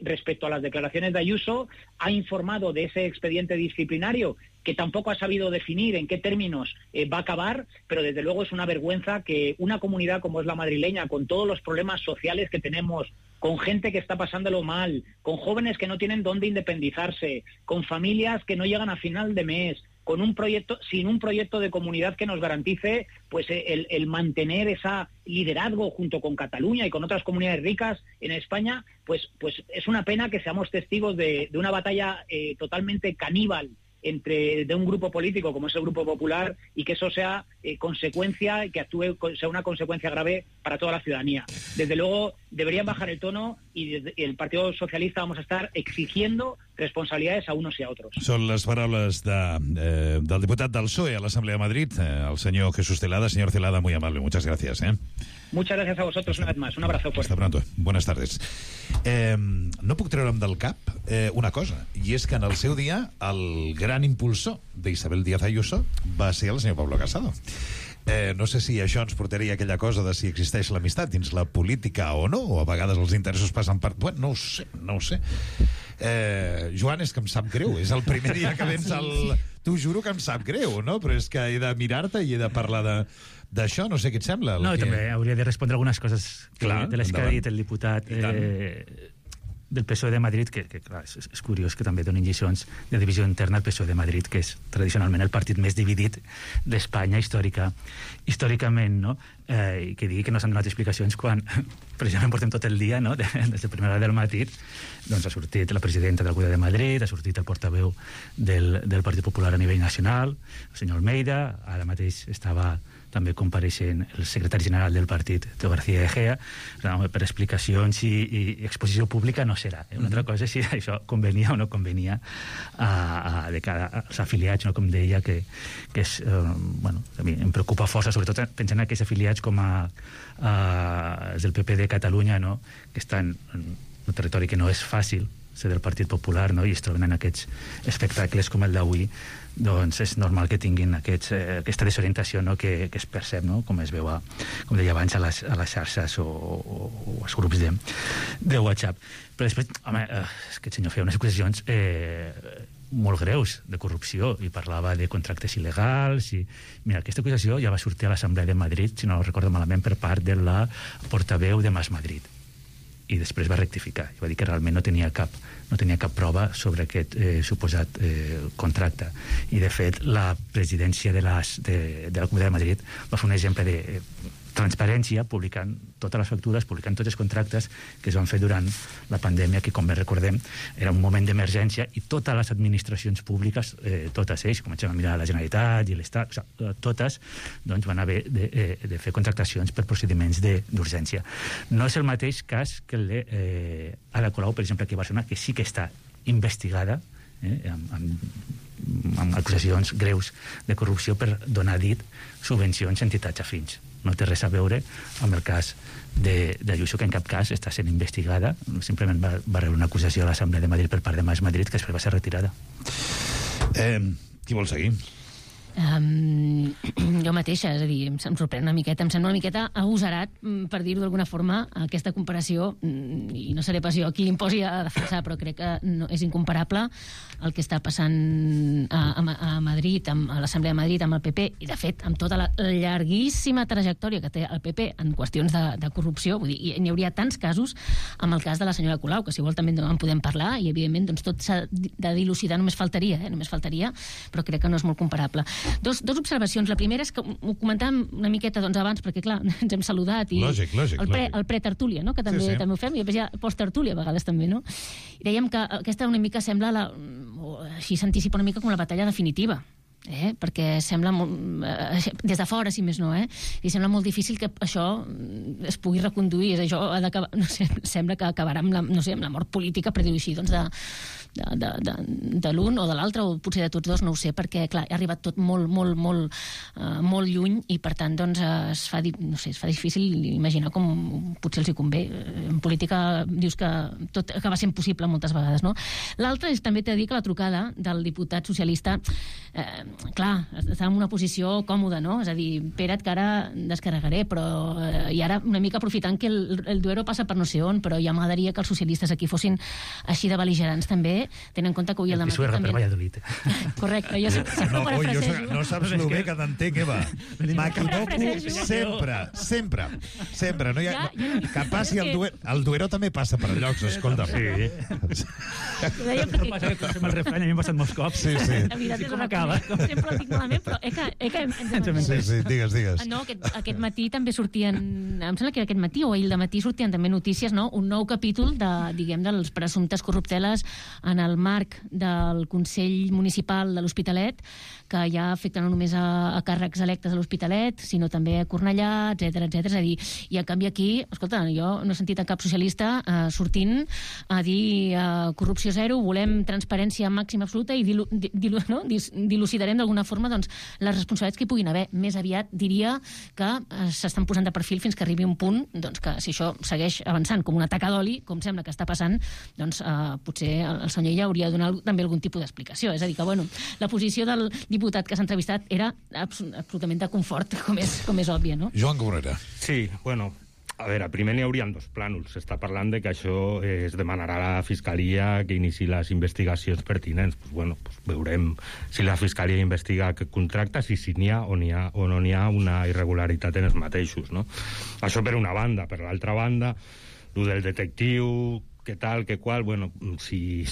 respecto a las declaraciones de Ayuso. Ha informado de ese expediente disciplinario que tampoco ha sabido definir en qué términos va a acabar, pero desde luego es una vergüenza que una comunidad como es la madrileña, con todos los problemas sociales que tenemos, con gente que está pasándolo mal, con jóvenes que no tienen dónde independizarse, con familias que no llegan a final de mes, sin un proyecto de comunidad que nos garantice pues el mantener ese liderazgo junto con Cataluña y con otras comunidades ricas en España, pues es una pena que seamos testigos de una batalla totalmente caníbal de un grupo político como es el Grupo Popular, y que eso sea consecuencia, que sea una consecuencia grave para toda la ciudadanía. Desde luego deberían bajar el tono, y desde el Partido Socialista vamos a estar exigiendo responsabilidades a unos y a otros. Són les paraules del diputat del PSOE a l'Assemblea de Madrid, el senyor Jesús Celada. Señor Celada, muy amable, muchas gracias. Muchas gracias a vosotros una vez más. Un abrazo fuerte. Hasta pronto. Buenas tardes. No puc treure'm del cap una cosa, i és que en el seu dia el gran impulsor d'Isabel Díaz Ayuso va ser el senyor Pablo Casado. No sé si això ens portaria a aquella cosa de si existeix l'amistat dins la política o no, o a vegades els interessos passen per... Bueno, no ho sé. Joan, és que em sap greu. És el primer dia que vens al... T'ho juro que em sap greu, no? Però és que he de mirar-te i he de parlar d'això. No sé què et sembla. No, també hauria de respondre algunes coses de les que ha dit el diputat del PSOE de Madrid, que clar, és curiós que també donin lliçons de divisió interna al PSOE de Madrid, que és tradicionalment el partit més dividit d'Espanya històricament, no? I que digui que no s'han donat explicacions quan precisament portem tot el dia, no? Des de primera hora del matí, doncs ha sortit la presidenta del Govern de Madrid, ha sortit el portaveu del Partit Popular a nivell nacional, el senyor Almeida, ara mateix estava també compareixent el secretari general del partit, Teo García Egea, per explicacions i exposició pública no serà. Una altra cosa és si això convenia o no convenia de cara als afiliats, no? Com deia, que és, bueno, a mi em preocupa força, sobretot pensant en aquells afiliats com els del PP de Catalunya, no? Que estan en un territori que no és fàcil, ser del Partit Popular, no? I es troben en aquests espectacles com el d'avui, doncs és normal que tinguin aquesta desorientació, no? que es percep, no? Com es veu, com deia abans, a les xarxes o als grups de WhatsApp. Però després, home, és que el senyor feia unes acusacions molt greus de corrupció i parlava de contractes il·legals i... Mira, aquesta acusació ja va sortir a l'Assemblea de Madrid, si no recordo malament, per part de la portaveu de Mas Madrid, i després va rectificar i va dir que realment no tenia cap prova sobre aquest suposat contracte. I de fet la presidència de la Comunitat de Madrid va fer un exemple de transparència, publicant totes les factures, publicant tots els contractes que es van fer durant la pandèmia, que, com bé recordem, era un moment d'emergència i totes les administracions públiques, totes ells, comencem a mirar la Generalitat i l'Estat, totes, doncs, van haver de fer contractacions per procediments d'urgència. No és el mateix cas que el d'Ada Colau, per exemple, aquí a Barcelona, que sí que està investigada amb acusacions greus de corrupció per donar dit subvencions a entitats afins. No té res a veure amb el cas d'Ayuso, que en cap cas està sent investigada, simplement va rebre una acusació a l'Assemblea de Madrid per part de Mas Madrid, que després va ser retirada. Qui vol seguir? Jo mateixa, és a dir, em sorprèn una miqueta, em sembla una miqueta agosarat, per dir-ho d'alguna forma, aquesta comparació, i no seré pas jo qui l'imposi a defensar, però crec que no, és incomparable el que està passant a Madrid, a l'Assemblea de Madrid, amb el PP, i de fet, amb tota la llarguíssima trajectòria que té el PP en qüestions de corrupció. Vull dir, n'hi hauria tants casos, amb el cas de la senyora Colau, que si vol també en podem parlar, i evidentment doncs, tot s'ha de dilucidar, només faltaria, però crec que no és molt comparable. Dos observacions. La primera és que ho comentàvem una miqueta doncs, abans, perquè clar, ens hem saludat i lògic. El pre-tertúlia, no? Que també ho fem, i després ja post-tertúlia a vegades també, no? I dèiem que aquesta una mica sembla així s'anticipa una mica com la batalla definitiva. Perquè sembla des de fora, si més no, i sembla molt difícil que això es pugui reconduir. Això ha d'acabar, no sé, sembla que acabarà amb la mort política, per dir-ho així, doncs de l'un o de l'altre, o potser de tots dos, no ho sé, perquè clar, ha arribat tot molt lluny, i per tant doncs es fa difícil imaginar com potser els hi convé. En política dius que tot acaba sent possible moltes vegades, no? L'altre és també t'he de dir que la trucada del diputat socialista, clar, estava en una posició còmoda, no? És a dir, espera't que ara descarregaré, però i ara una mica aprofitant que el Duero passa per no sé on, però ja m'agradaria que els socialistes aquí fossin així de bel·ligerants també, tenen en compte que avui al dematí també... per Valladolid. Correcte, jo sempre ho parafrasejo. No saps lo bé que t'entenc, Eva. M'equivoco sempre. No hi ha... Que passi el Duero també passa per llocs, escolta. Sí. Passa que fem el refrany, a mi m'ha passat molts cops. Sí. La veritat és que sempre el dic malament, però Sí, digues. No, aquest matí també sortien, em sembla que aquest matí o ahir de matí sortien també notícies, no? Un nou capítol dels presumptes corrupteles en el marc del Consell Municipal de l'Hospitalet, que ja afecta no només a càrrecs electes a l'Hospitalet, sinó també a Cornellà, etcètera. És a dir, i en canvi aquí, escolta, jo no he sentit a cap socialista sortint a dir corrupció zero, volem transparència màxima absoluta i dilucidarem entenem d'alguna forma doncs, les responsabilitats que hi puguin haver. Més aviat diria que s'estan posant de perfil fins que arribi un punt doncs, que si això segueix avançant com una taca d'oli, com sembla que està passant, doncs potser el senyor Illa hauria de donar també algun tipus d'explicació. És a dir, que bueno, la posició del diputat que s'ha entrevistat era absolutament de confort, com és òbvia, no? Joan Cabrera. Sí, bueno, a veure, primer n'hi haurien dos plànols. S'està parlant de que això es demanarà a la Fiscalia que iniciï les investigacions pertinents. Pues, bueno, pues veurem si la Fiscalia investiga aquest contracte, si n'hi ha o no n'hi ha una irregularitat en els mateixos, no? Això per una banda. Per l'altra banda, el del detectiu, què tal, què qual, bueno, si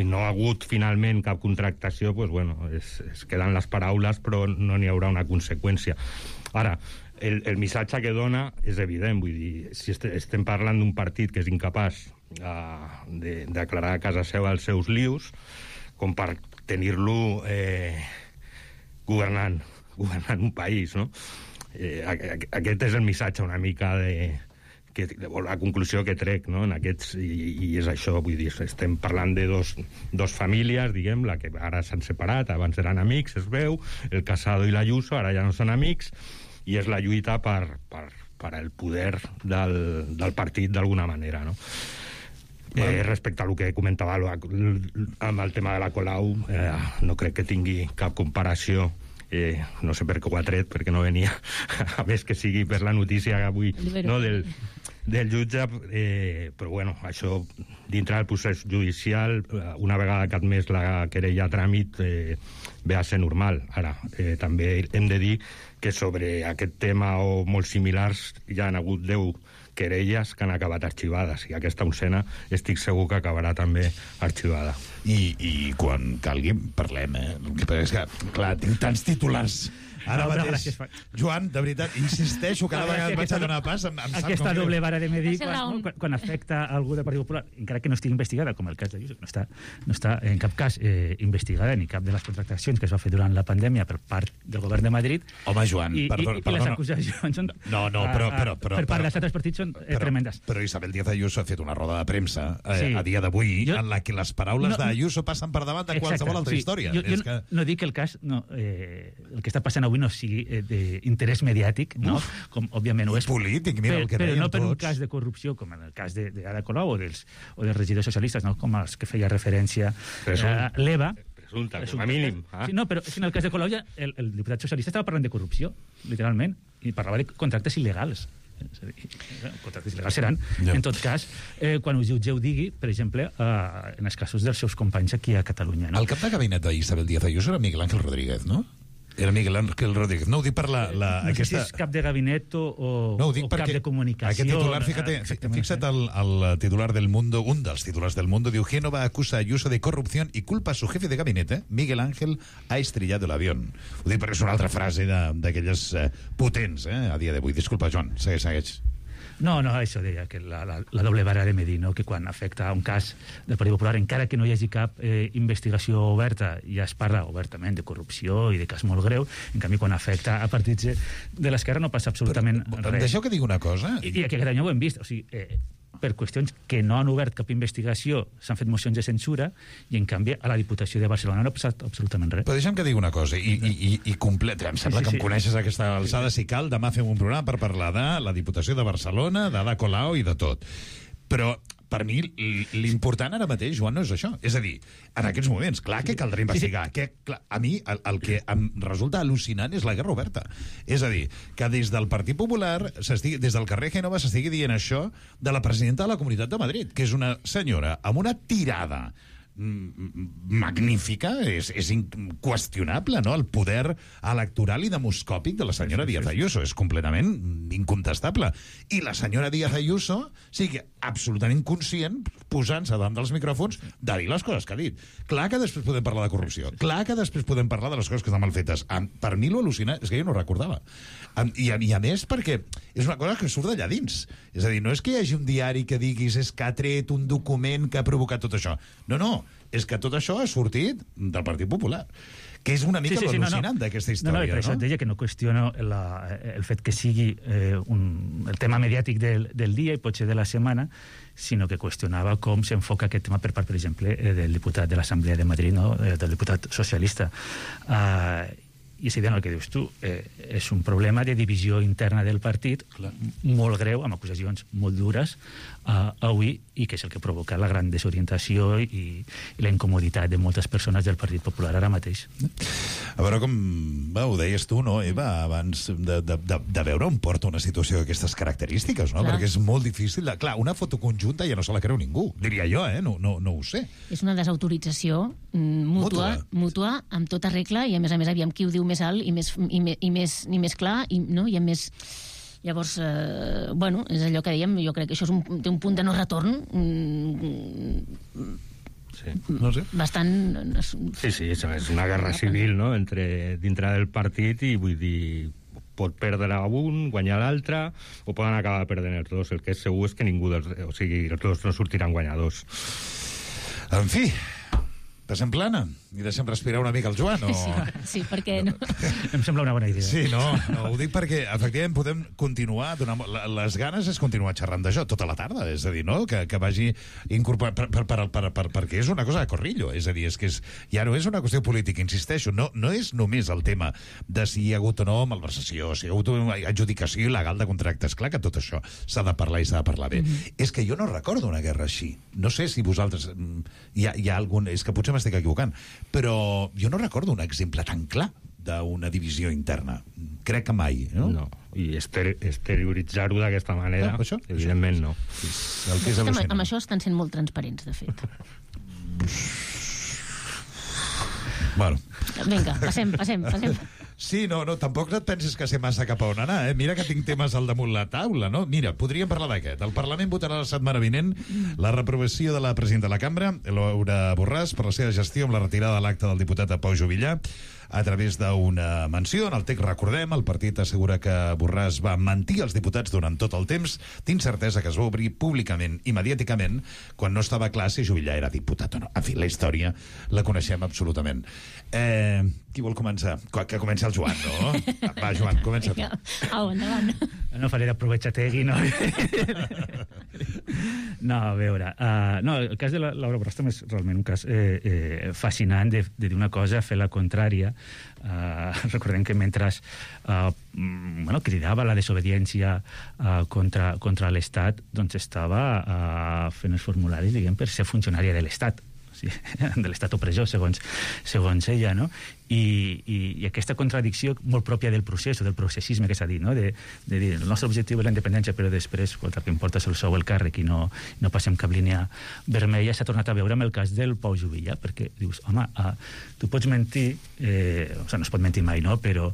no ha hagut finalment cap contractació, pues, bueno, es queden les paraules, però no n'hi haurà una conseqüència. Ara, el missatge que dona és evident, vull dir, si estem parlant d'un partit que és incapaç de declarar a casa seva els seus lius, com per tenir-lo governant un país, no? Aquest és el missatge una mica la conclusió que trec, no? En aquests, i és això, vull dir, estem parlant de dos famílies, diguem, la que ara s'han separat, abans eren amics, es veu, el Casado i l'Ayuso, ara ja no són amics, i és la lluita per el poder del partit d'alguna manera, no? Respecte a el que comentava amb el tema de la Colau, no crec que tingui cap comparació. No sé per què ho ha tret, perquè no venia, a més que sigui per la notícia avui, no, del jutge, però bueno, això dintre del procés judicial, una vegada que ha admès la querella a tràmit, ve a ser normal. Ara, també hem de dir que sobre aquest tema o molt similars hi ha hagut 10 querelles que han acabat arxivades, i aquesta oncena estic segur que acabarà també arxivada. I quan calgui parlem, El que passa és que, clar, tinc tants titulars ara mateix. Joan, de veritat, insisteixo, cada vegada vaig a donar pas, em sap aquesta com doble vara de medir quan afecta algú del Partit Popular, encara que no estigui investigada, com el cas de Ayuso, no està en cap cas investigada ni cap de les contractacions que es va fer durant la pandèmia per part del govern de Madrid. Home, Joan, perdona. I les acusacions són... però per part dels altres partits són tremendes. Però Isabel Díaz Ayuso ha fet una roda de premsa a dia d'avui en la que les paraules d'Ayuso passen per davant de qualsevol altra història. Jo no dic que el cas, el que està passant avui no sigui d'interès mediàtic, no? Com òbviament ho és. Polític, mira el que deien tots. Però no per un tots. cas de corrupció, com en el cas d'Ada Colau o dels regidors socialistes, no? Com els que feia referència l'Eva. Presumpte, com a mínim. Sí, no, però en el cas de Colau ja el diputat socialista estava parlant de corrupció, literalment, i parlava de contractes il·legals. Contractes il·legals seran, en tot cas, quan us jutgeu digui, per exemple, en els casos dels seus companys aquí a Catalunya. El cap de gabinet d'Isabel Díaz Ayuso era Miguel Ángel Rodríguez, no? Era Miguel Ángel Rodríguez. No ho dic per no sé si és cap de gabinet o cap de comunicació. Aquest titular, fixa't el titular del Mundo, un dels titulars del Mundo, diu: Génova acusa a Ayuso de corrupción y culpa a su jefe de gabinete, Miguel Ángel, ha estrellado el avión. Ho dic perquè és una altra frase d'aquelles potents, a dia d'avui. Disculpa, Joan, segueix. No, això deia, que la doble vara de medir, no? Que quan afecta un cas del Partit Popular, encara que no hi hagi cap investigació oberta, ja es parla obertament de corrupció i de cas molt greu, en canvi quan afecta a partits de l'esquerra no passa absolutament res. Deixeu que digui una cosa. I aquí a Catalunya ho hem vist, o sigui, per qüestions que no han obert cap investigació s'han fet mocions de censura i en canvi a la Diputació de Barcelona no ha passat absolutament res. Però deixa'm que digui una cosa i completa, em sembla que em coneixes a aquesta alçada. Si cal, demà fem un programa per parlar de la Diputació de Barcelona, d'Ada Colau i de tot. Però per mi l'important ara mateix, Joan, no és això. És a dir, en aquests moments, clar que caldrà investigar. A mi el que em resulta al·lucinant és la guerra oberta. És a dir, que des del Partit Popular, des del carrer Génova, s'estigui dient això de la presidenta de la Comunitat de Madrid, que és una senyora amb una tirada magnífica, és inqüestionable, no? El poder electoral i demoscòpic de la senyora Díaz Ayuso és completament incontestable. I la senyora Díaz Ayuso sigui absolutament conscient, posant-se davant dels micròfons, de dir les coses que ha dit. Clar que després podem parlar de corrupció, clar que després podem parlar de les coses que estan mal fetes. Per mi l'al·lucina és que jo no ho recordava. I a més perquè és una cosa que surt d'allà dins. És a dir, no és que hi hagi un diari que diguis és que ha tret un document que ha provocat tot això. No, és que tot això ha sortit del Partit Popular. Que és una mica al·lucinant d'aquesta història, no? Per això et deia que no qüestiono el fet que sigui el tema mediàtic del dia i potser de la setmana, sinó que qüestionava com s'enfoca aquest tema per part, per exemple, del diputat de l'Assemblea de Madrid, no? Del diputat socialista. I és evident el que dius tu, és un problema de divisió interna del partit molt greu, amb acusacions molt dures avui, i que és el que provoca la gran desorientació i la incomoditat de moltes persones del Partit Popular ara mateix. A veure com ho deies tu, no, Eva, abans de veure on porta una situació d'aquestes característiques, no? Perquè és molt difícil. Clar, una foto conjunta ja no se la creu ningú, diria jo, no ho sé. És una desautorització mútua, amb tota regla, i a més aviam qui ho diu més alt i més clar, no? I a més... Llavors, és allò que dèiem, jo crec que això té un punt de no retorn bastant... Sí, és una guerra civil, no?, dintre del partit, i vull dir, pot perdre un, guanyar l'altre, o poden acabar perdent els dos. El que és segur és que els dos no sortiran guanyadors. En fi, passem plana i deixem respirar una mica el Joan, o... Sí, perquè no... Em sembla una bona idea. Sí, no, ho dic perquè efectivament podem continuar, les ganes és continuar xerrant d'això tota la tarda, és a dir, no? Que vagi incorporat perquè és una cosa de corrillo, és a dir, ja no és una qüestió política, insisteixo, no és només el tema de si hi ha hagut o no malversació, si hi ha hagut una adjudicació il·legal de contractes. Clar que tot això s'ha de parlar i s'ha de parlar bé. És que jo no recordo una guerra així. No sé si vosaltres... Hi ha algun... És que potser m'estic equivocant, però jo no recordo un exemple tan clar d'una divisió interna. Crec que mai, no? No, i exterioritzar-ho d'aquesta manera, evidentment no. Amb això estan sent molt transparents, de fet. Bueno. Vinga, passem. Sí, no, tampoc et pensis que sé massa cap a on anar, eh? Mira que tinc temes al damunt la taula, no? Mira, podríem parlar d'aquest. El Parlament votarà la setmana vinent la reprovació de la presidenta de la Cambra, Laura Borràs, per la seva gestió amb la retirada de l'acte del diputat Pau Juvillà a través d'una menció. En el text, recordem, el partit assegura que Borràs va mentir als diputats durant tot el temps, d'incertesa que es va obrir públicament i mediàticament quan no estava clar si Juvillà era diputat o no. En fi, la història la coneixem absolutament. Qui vol començar? Que comenci el Joan, no? Va, Joan, comença tu. Au, endavant. No faré d'aprovechar-tegui, no? No, a veure... No, el cas de Laura Borràs també és realment un cas fascinant de dir una cosa, fer la contrària. Recordem que mentre cridava la desobediència contra l'Estat, doncs estava fent els formularis, diguem, per ser funcionària de l'Estat, de l'estat opressor, segons ella, no? I aquesta contradicció molt pròpia del procés, o del processisme que s'ha dit, no? De dir, el nostre objectiu és la independència, però després el que importa és el sou, el càrrec, i no passem cap línia vermella. S'ha tornat a veure amb el cas del Pau Juvillà, perquè dius, home, tu pots mentir, no es pot mentir mai, no? Però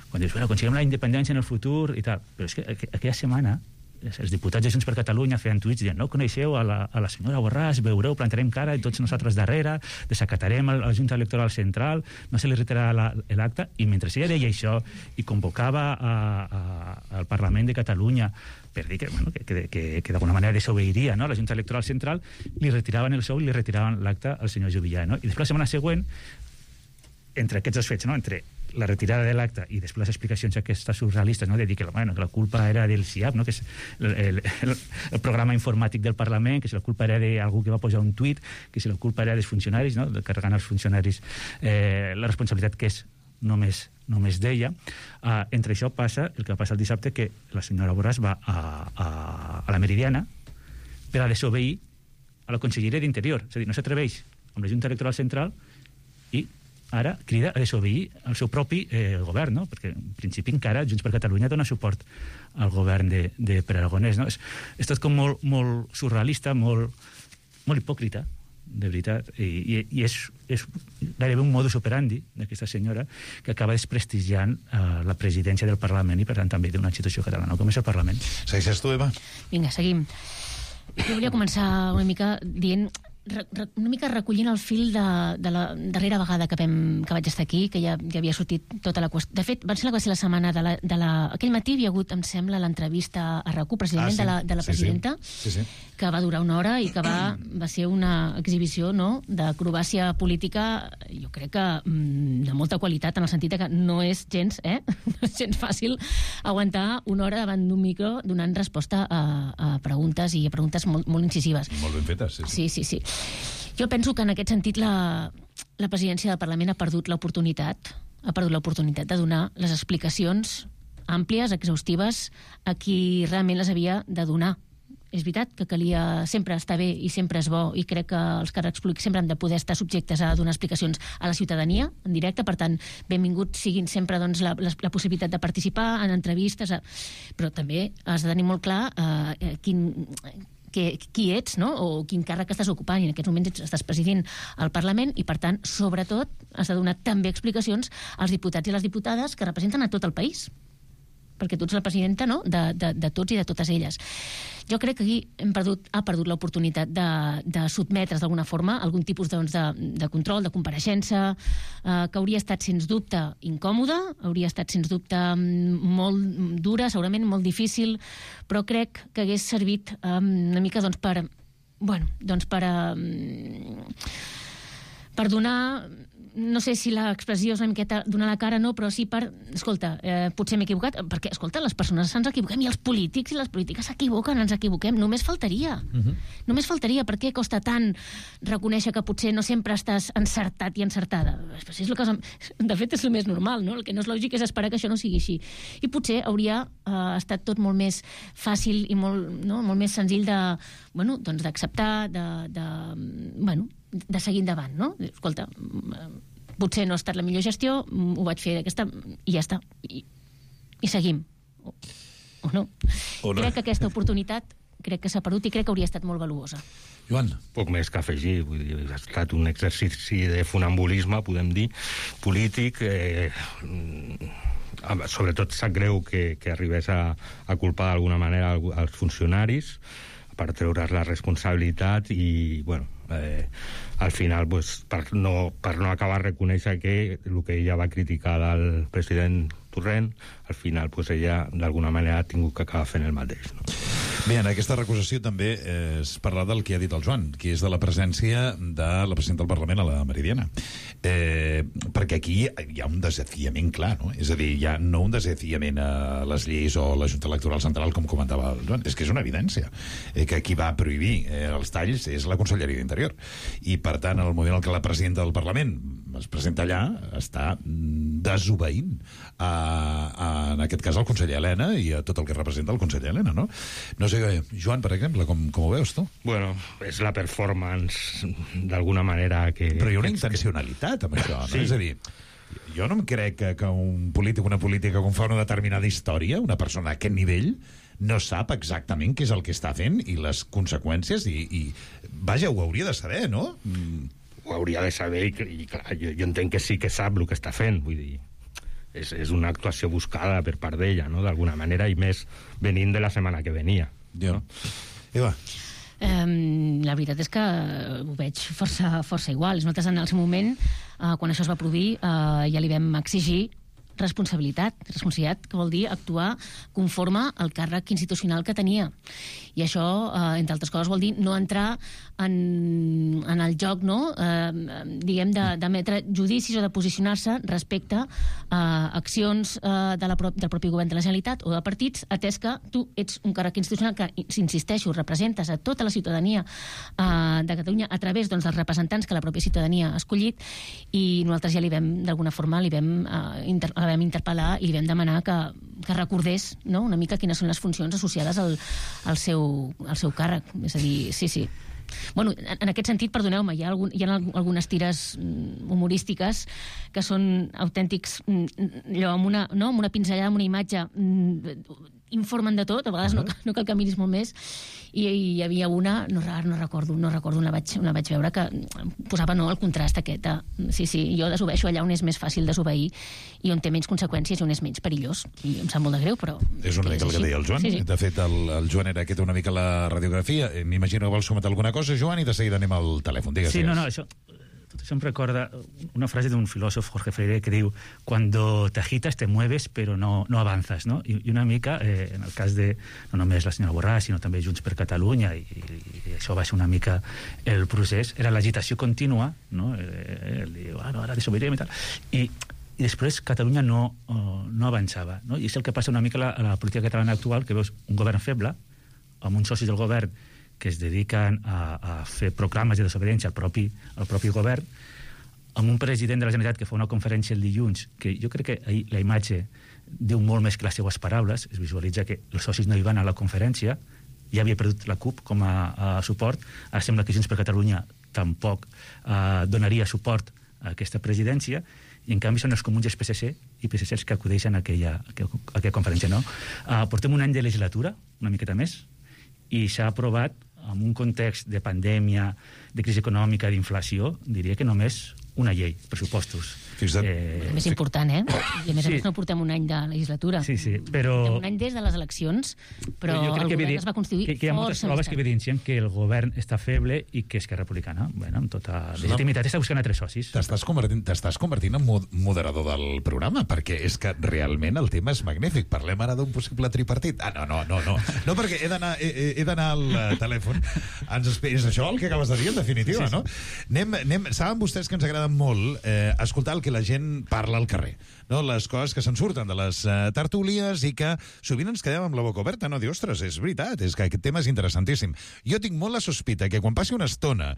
quan dius, bueno, aconseguim la independència en el futur i tal, però és que aquella setmana els diputats de Junts per Catalunya feien tuits dient, no coneixeu a la senyora Borràs, veureu, plantarem cara i tots nosaltres darrere, desacatarem a la Junta Electoral Central, no se li retirarà l'acte, i mentre ella deia això i convocava al Parlament de Catalunya per dir que d'alguna manera desobeiria, no, la Junta Electoral Central, li retiraven el sou i li retiraven l'acte al senyor Juvillà, no? I després la setmana següent, entre aquests dos fets, no, entre la retirada de l'acte i després les explicacions aquestes surrealistes, no, de dir que la culpa era del CIAP, no, que és el programa informàtic del Parlament, que si la culpa era d'algú que va posar un tuit, que si la culpa era dels funcionaris, no, carregant als funcionaris la responsabilitat que és només d'ella. Entre això passa el que va passar el dissabte, que la senyora Borràs va a la Meridiana per a desobeir a la Conselleria d'Interior, és a dir, no s'atreveix amb la Junta Electoral Central i ara crida a desobeir el seu propi govern, no? Perquè en principi encara Junts per Catalunya dona suport al govern de Pere Aragonès, no? És tot com molt surrealista, molt hipòcrita, de veritat, i és gairebé un modus operandi d'aquesta senyora que acaba desprestigiant la presidència del Parlament i per tant també d'una institució catalana com és el Parlament. Segueixes tu, Eva? Vinga, seguim. Jo volia començar una mica dient una mica recollint el fil de la darrera vegada que vaig estar aquí, que ja havia sortit tota la qüestió. De fet, va ser la setmana aquell matí hi havia hagut, em sembla, l'entrevista a RAC1, precisament, de la presidenta, que va durar 1 hora i que va ser una exhibició, no?, d'acrobàcia política, jo crec que de molta qualitat, en el sentit que no és gens, no és gens fàcil aguantar 1 hora davant d'un micro donant resposta a preguntes i a preguntes molt incisives. I molt ben fetes, Sí. Jo penso que en aquest sentit la presidència del Parlament ha perdut l'oportunitat de donar les explicacions àmplies, exhaustives, a qui realment les havia de donar. És veritat que calia sempre estar bé i sempre és bo, i crec que els càrrecs públics sempre han de poder estar subjectes a donar explicacions a la ciutadania en directe, per tant, benvinguts siguin sempre doncs, la possibilitat de participar en entrevistes, però també has de tenir molt clar qui ets, no?, o quin càrrec estàs ocupant, i en aquests moments estàs presidint el Parlament, i per tant, sobretot, has de donar també explicacions als diputats i les diputades que representen a tot el país, perquè tu ets la presidenta, no?, de tots i de totes elles. Jo crec que aquí ha perdut l'oportunitat de sotmetre's d'alguna forma a algun tipus de control, de compareixença, que hauria estat, sens dubte, incòmoda, hauria estat, sens dubte, molt dura, segurament molt difícil, però crec que hagués servit una mica per donar, no sé si l'expressió és una miqueta donar la cara, no, però sí per, escolta, potser m'he equivocat, perquè, escolta, les persones ens equivoquem, i els polítics i les polítiques s'equivoquen, ens equivoquem, només faltaria. Només faltaria. Per què costa tant reconèixer que potser no sempre estàs encertat i encertada? De fet, és el més normal, no? El que no és lògic és esperar que això no sigui així. I potser hauria estat tot molt més fàcil i molt més senzill d'acceptar, de seguir endavant, no? Escolta, potser no ha estat la millor gestió, ho vaig fer d'aquesta, i ja està. I seguim. O no? Crec que aquesta oportunitat s'ha perdut i crec que hauria estat molt valuosa. Joan. Poc més que afegir. Vull dir, ha estat un exercici de funambulisme, podem dir, polític. Sobretot sap greu que arribés a culpar d'alguna manera als funcionaris per treure's la responsabilitat i, al final, per no acabar de reconèixer que el que ella va criticar del president Torrent, al final ella d'alguna manera ha tingut que acabar fent el mateix. No? Bé, en aquesta recusació també es parla del que ha dit el Joan, que és de la presència de la presidenta del Parlament a la Meridiana. Perquè aquí hi ha un desafiament clar, no? És a dir, hi ha no un desafiament a les lleis o a la Junta Electoral Central, com comentava el Joan, és que és una evidència que qui va prohibir els talls és la Conselleria d'Interior. I, per tant, en el moment en què la presidenta del Parlament es presenta allà, està desobeint en aquest cas al conseller Elena i a tot el que representa el conseller Elena, no? No sé, Joan, per exemple, com ho veus tu? Bueno, és la performance d'alguna manera que... Però hi ha una intencionalitat amb això, no? Sí. És a dir, jo no em crec que un polític, una política que fa una determinada història, una persona a aquest nivell, no sap exactament què és el que està fent i les conseqüències i vaja, ho hauria de saber, no? Ho hauria de saber i clar, jo entenc que sí que sap el que està fent, vull dir, és una actuació buscada per part d'ella, no?, d'alguna manera, i més venint de la setmana que venia. No? Eva? La veritat és que ho veig força igual. Nosaltres en el seu moment, quan això es va produir, ja li vam exigir responsabilitat, que vol dir actuar conforme al càrrec institucional que tenia. I això, entre altres coses, vol dir no entrar en el joc, no?, diguem, d'emetre judicis o de posicionar-se respecte a accions del propi govern de la Generalitat o de partits, atès que tu ets un càrrec institucional que, insisteixo, representes a tota la ciutadania de Catalunya a través dels representants que la pròpia ciutadania ha escollit, i nosaltres ja d'alguna forma la vam interpel·lar i li vam demanar que recordés, no?, una mica quines són les funcions associades al seu càrrec. És a dir, sí. Bueno, en aquest sentit, perdoneu-me, hi ha algunes tires humorístiques que són autèntics, allò, amb una pinzellada, amb una imatge informen de tot, a vegades no cal que miris molt més, i hi havia una, no recordo on la vaig veure, que posava el contrast aquest. Sí, jo desobeeixo allà on és més fàcil desobeir i on té menys conseqüències i on és menys perillós. I em sap molt de greu, però... És una mica el que deia el Joan. Sí. De fet, el Joan era aquest una mica la radiografia. M'imagino que vols comentar alguna cosa, Joan, i de seguida anem al telèfon. Digues. Sí, això em recorda una frase de un filòsof, Jorge Freire, que diu: cuando te agitas te mueves pero no avanzas, no? I una mica, en el cas de no només la senyora Borràs, sinó també Junts per Catalunya, i això va ser una mica el procés, era l'agitació contínua, no? Diu, ara desobeirem i tal, i després Catalunya no avançava, no? I és el que passa una mica a la política catalana actual, que veus un govern feble, amb uns socis del govern que es dediquen a fer proclames de desobediència al propi govern, amb un president de la Generalitat que fa una conferència el dilluns, que jo crec que ahir la imatge diu molt més que les seues paraules, es visualitza que els socis no hi van a la conferència, ja havia perdut la CUP com a suport, ara sembla que Junts per Catalunya tampoc donaria suport a aquesta presidència, i en canvi són els comuns i els PSC els que acudeixen a aquella conferència, no? Portem un any de legislatura, una miqueta més, i s'ha aprovat en un context de pandèmia, de crisi econòmica, d'inflació, diria que només una llei, pressupostos. Més important, I a més no portem un any de legislatura. Sí, però... Portem un any des de les eleccions, però el govern es va constituir que hi ha moltes proves que evidencien que el govern està feble i que Esquerra Republicana, amb tota legitimitat, està buscant altres socis. T'estàs convertint en moderador del programa, perquè és que realment el tema és magnífic. Parlem ara d'un possible tripartit. No, perquè he d'anar al telèfon. És això el que acabes de dir, en definitiva, no? Saben vostès que ens agrada molt escoltar el que la gent parla al carrer, no? Les coses que se'n surten de les tertúlies i que sovint ens quedem amb la boca oberta, no? Dir, ostres, és veritat, és que aquest tema és interessantíssim. Jo tinc molt la sospita que quan passi una estona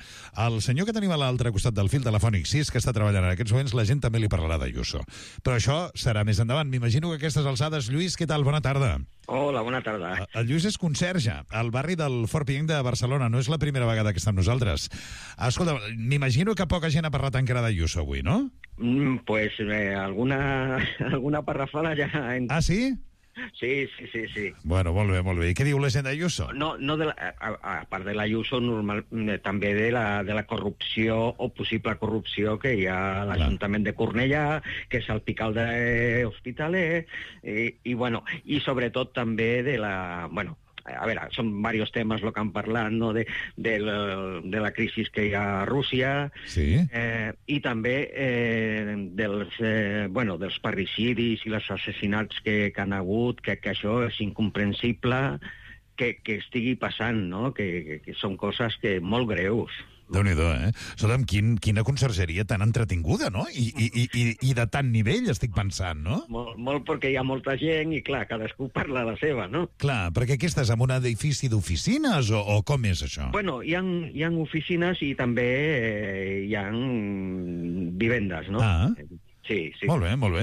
el senyor que tenim a l'altre costat del fil telefònic, si és que està treballant en aquests moments, la gent també li parlarà d'Ayuso. Però això serà més endavant. M'imagino que a aquestes alçades... Lluís, què tal? Bona tarda. Hola, bona tarda. El Lluís és conserge al barri del Fort Pienc de Barcelona. No és la primera vegada que està amb nosaltres. Escolta, m'imagino que poca gent ha parlat encara d'Ayuso avui, no? Pues alguna parrafada ja... Ah, sí? Sí. Bueno, molt bé. I què diu la gent d'Ayuso? No a part de l'Ayuso, també de la corrupció o possible corrupció que hi ha a l'Ajuntament de Cornellà, que és el Picalde Hospitaler, i sobretot també de la... A veure, són diversos temes el que han parlat, no? de la crisi que hi ha a Rússia, sí. I també dels parricidis i els assassinats que han hagut, que això és incomprensible que estigui passant, no? Que són coses molt greus. Déu-n'hi-do, Escolta'm, quina consergeria tan entretinguda, no? I de tant nivell, estic pensant, no? Molt perquè hi ha molta gent i, clar, cadascú parla la seva, no? Clar, perquè aquí estàs en un edifici d'oficines o com és això? Bueno, hi ha oficines i també hi ha vivendes, no? Ah. Sí. Molt bé.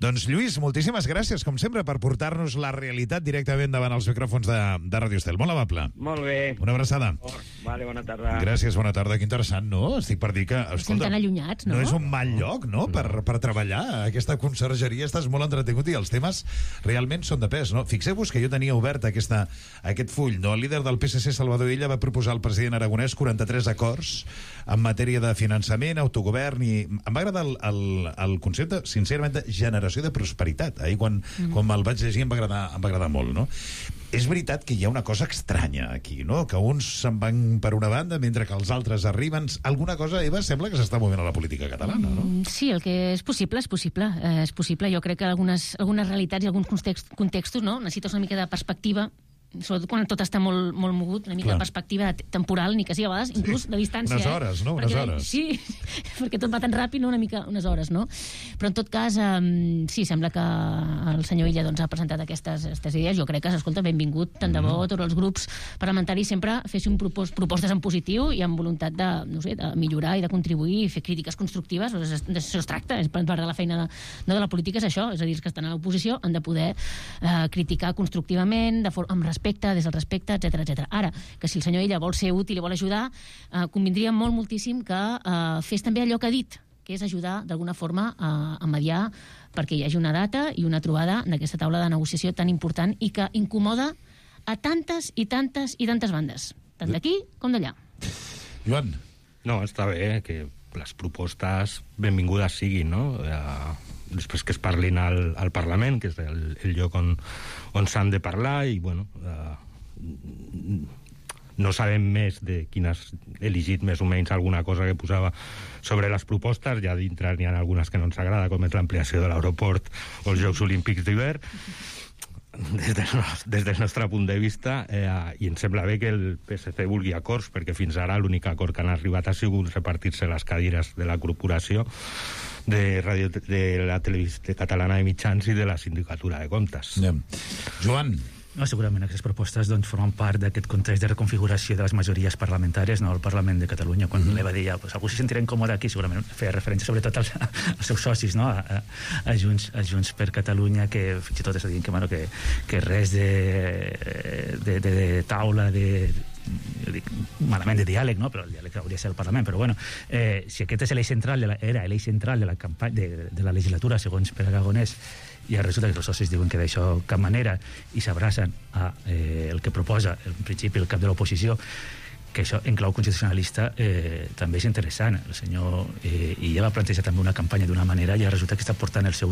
Doncs, Lluís, moltíssimes gràcies, com sempre, per portar-nos la realitat directament davant els micròfons de Ràdio Estel. Molt amable. Molt bé. Una abraçada. Vale, bona tarda. Gràcies, bona tarda. Que interessant, no? Estic per dir que... Escolta, estem tan allunyats, no? No és un mal lloc, no?, per treballar. Aquesta consergeria estàs molt entretingut i els temes realment són de pes, no? Fixeu-vos que jo tenia obert aquest full, no? El líder del PSC, Salvador Illa, va proposar al president aragonès 43 acords en matèria de finançament, autogovern, i em va agradar el concepte, sincerament, de generació de prosperitat. Ahir, quan me'l vaig llegir, em va agradar molt, no? És veritat que hi ha una cosa estranya aquí, no? Que uns se'n van per una banda mentre que els altres arriben. Alguna cosa, Eva, sembla que s'està movent a la política catalana, no? Sí, el que és possible, és possible. Jo crec que algunes realitats i alguns contextos, no? Necessites una mica de perspectiva, sobretot quan tot està molt mogut, una mica de perspectiva temporal, ni que sigui a vegades, inclús de distància. Unes hores, no? Unes hores. Sí, perquè tot va tan ràpid, no? Una mica, unes hores, no? Però en tot cas, sí, sembla que el senyor Illa ha presentat aquestes idees. Jo crec que, escolta, benvingut, tant de bo, tots els grups parlamentaris sempre fessin propostes en positiu i amb voluntat de millorar i de contribuir i fer crítiques constructives. D'això es tracta, és part de la feina de la política, és això, és a dir, que estan a l'oposició, han de poder criticar constructivament, amb respecte, des del respecte, etc. Ara, que si el senyor Illa vol ser útil i vol ajudar, convindria moltíssim que fes també allò que ha dit, que és ajudar d'alguna forma a mediar perquè hi hagi una data i una trobada d'aquesta taula de negociació tan important i que incomoda a tantes i tantes i tantes bandes, tant d'aquí com d'allà. Joan. No, està bé que les propostes benvingudes siguin, no? Després que es parlin al Parlament, que és el lloc on s'han de parlar, i, bueno, no sabem més de quin has elegit més o menys alguna cosa que posava sobre les propostes. Ja dintre n'hi ha algunes que no ens agrada, com és l'ampliació de l'aeroport o els Jocs Olímpics d'hivern. Des del nostre punt de vista, i em sembla bé que el PSC vulgui acords, perquè fins ara l'únic acord que han arribat ha sigut repartir-se les cadires de la corporació de la televisió catalana de mitjans i de la sindicatura de comptes. Joan. No, segurament aquestes propostes doncs, formen part d'aquest context de reconfiguració de les majories parlamentàries, no, al Parlament de Catalunya. Quan l'Eva deia, pues, algú se sentirà incòmode aquí, segurament feia referència sobretot als seus socis, no? a Junts per Catalunya, que fins i tot es diuen que res de taula, malament de diàleg, no? Però el diàleg hauria de ser al Parlament. Però bueno, si aquest és l'eix central era l'eix central de la campanya de la legislatura, segons Pere Aragonès, i resulta que els socis diuen que d'això cap manera i s'abracen a el que proposa en principi el cap de l'oposició, que això en clau constitucionalista també és interessant. El senyor ja va plantejar també una campanya d'una manera i resulta que està portant els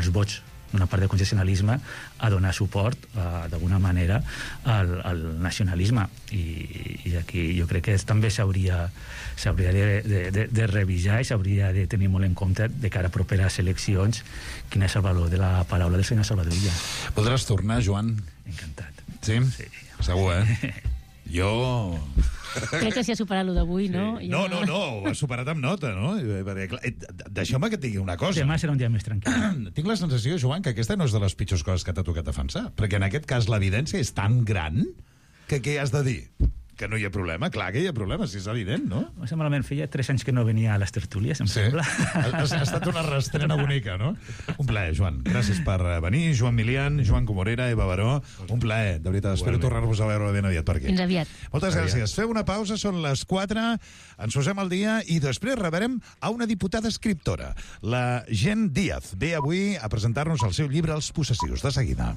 vots d'una part del constitucionalisme a donar suport d'alguna manera al nacionalisme, i aquí jo crec que també s'hauria de revisar i s'hauria de tenir molt en compte de cara a properes eleccions quin és el valor de la paraula del senyor Salvador Illa. Podràs tornar, Joan? Encantat. Sí? Segur, Jo... Crec que s'hi ha superat lo d'avui, no? No, ho has superat amb nota, no? Deixeu-me que et digui una cosa. Demà serà un dia més tranquil. Tinc la sensació, Joan, que aquesta no és de les pitjors coses que t'ha tocat defensar, perquè en aquest cas l'evidència és tan gran que què has de dir? Que no hi ha problema? Clar que hi ha problema, si és evident, no? Malament, feia 3 anys que no venia a les tertúlies, em sembla. Ha estat una restrena bonica, no? Un plaer, Joan. Gràcies per venir. Joan Milian, Joan Comorera, Eva Baró. Un plaer, de veritat. Espero tornar-vos a veure ben aviat per aquí. Fins aviat. Moltes gràcies. Feu una pausa, són les 4, ens posem al dia i després rebrem a una diputada escriptora, la Jen Díaz. Ve avui a presentar-nos el seu llibre Els possessius. De seguida.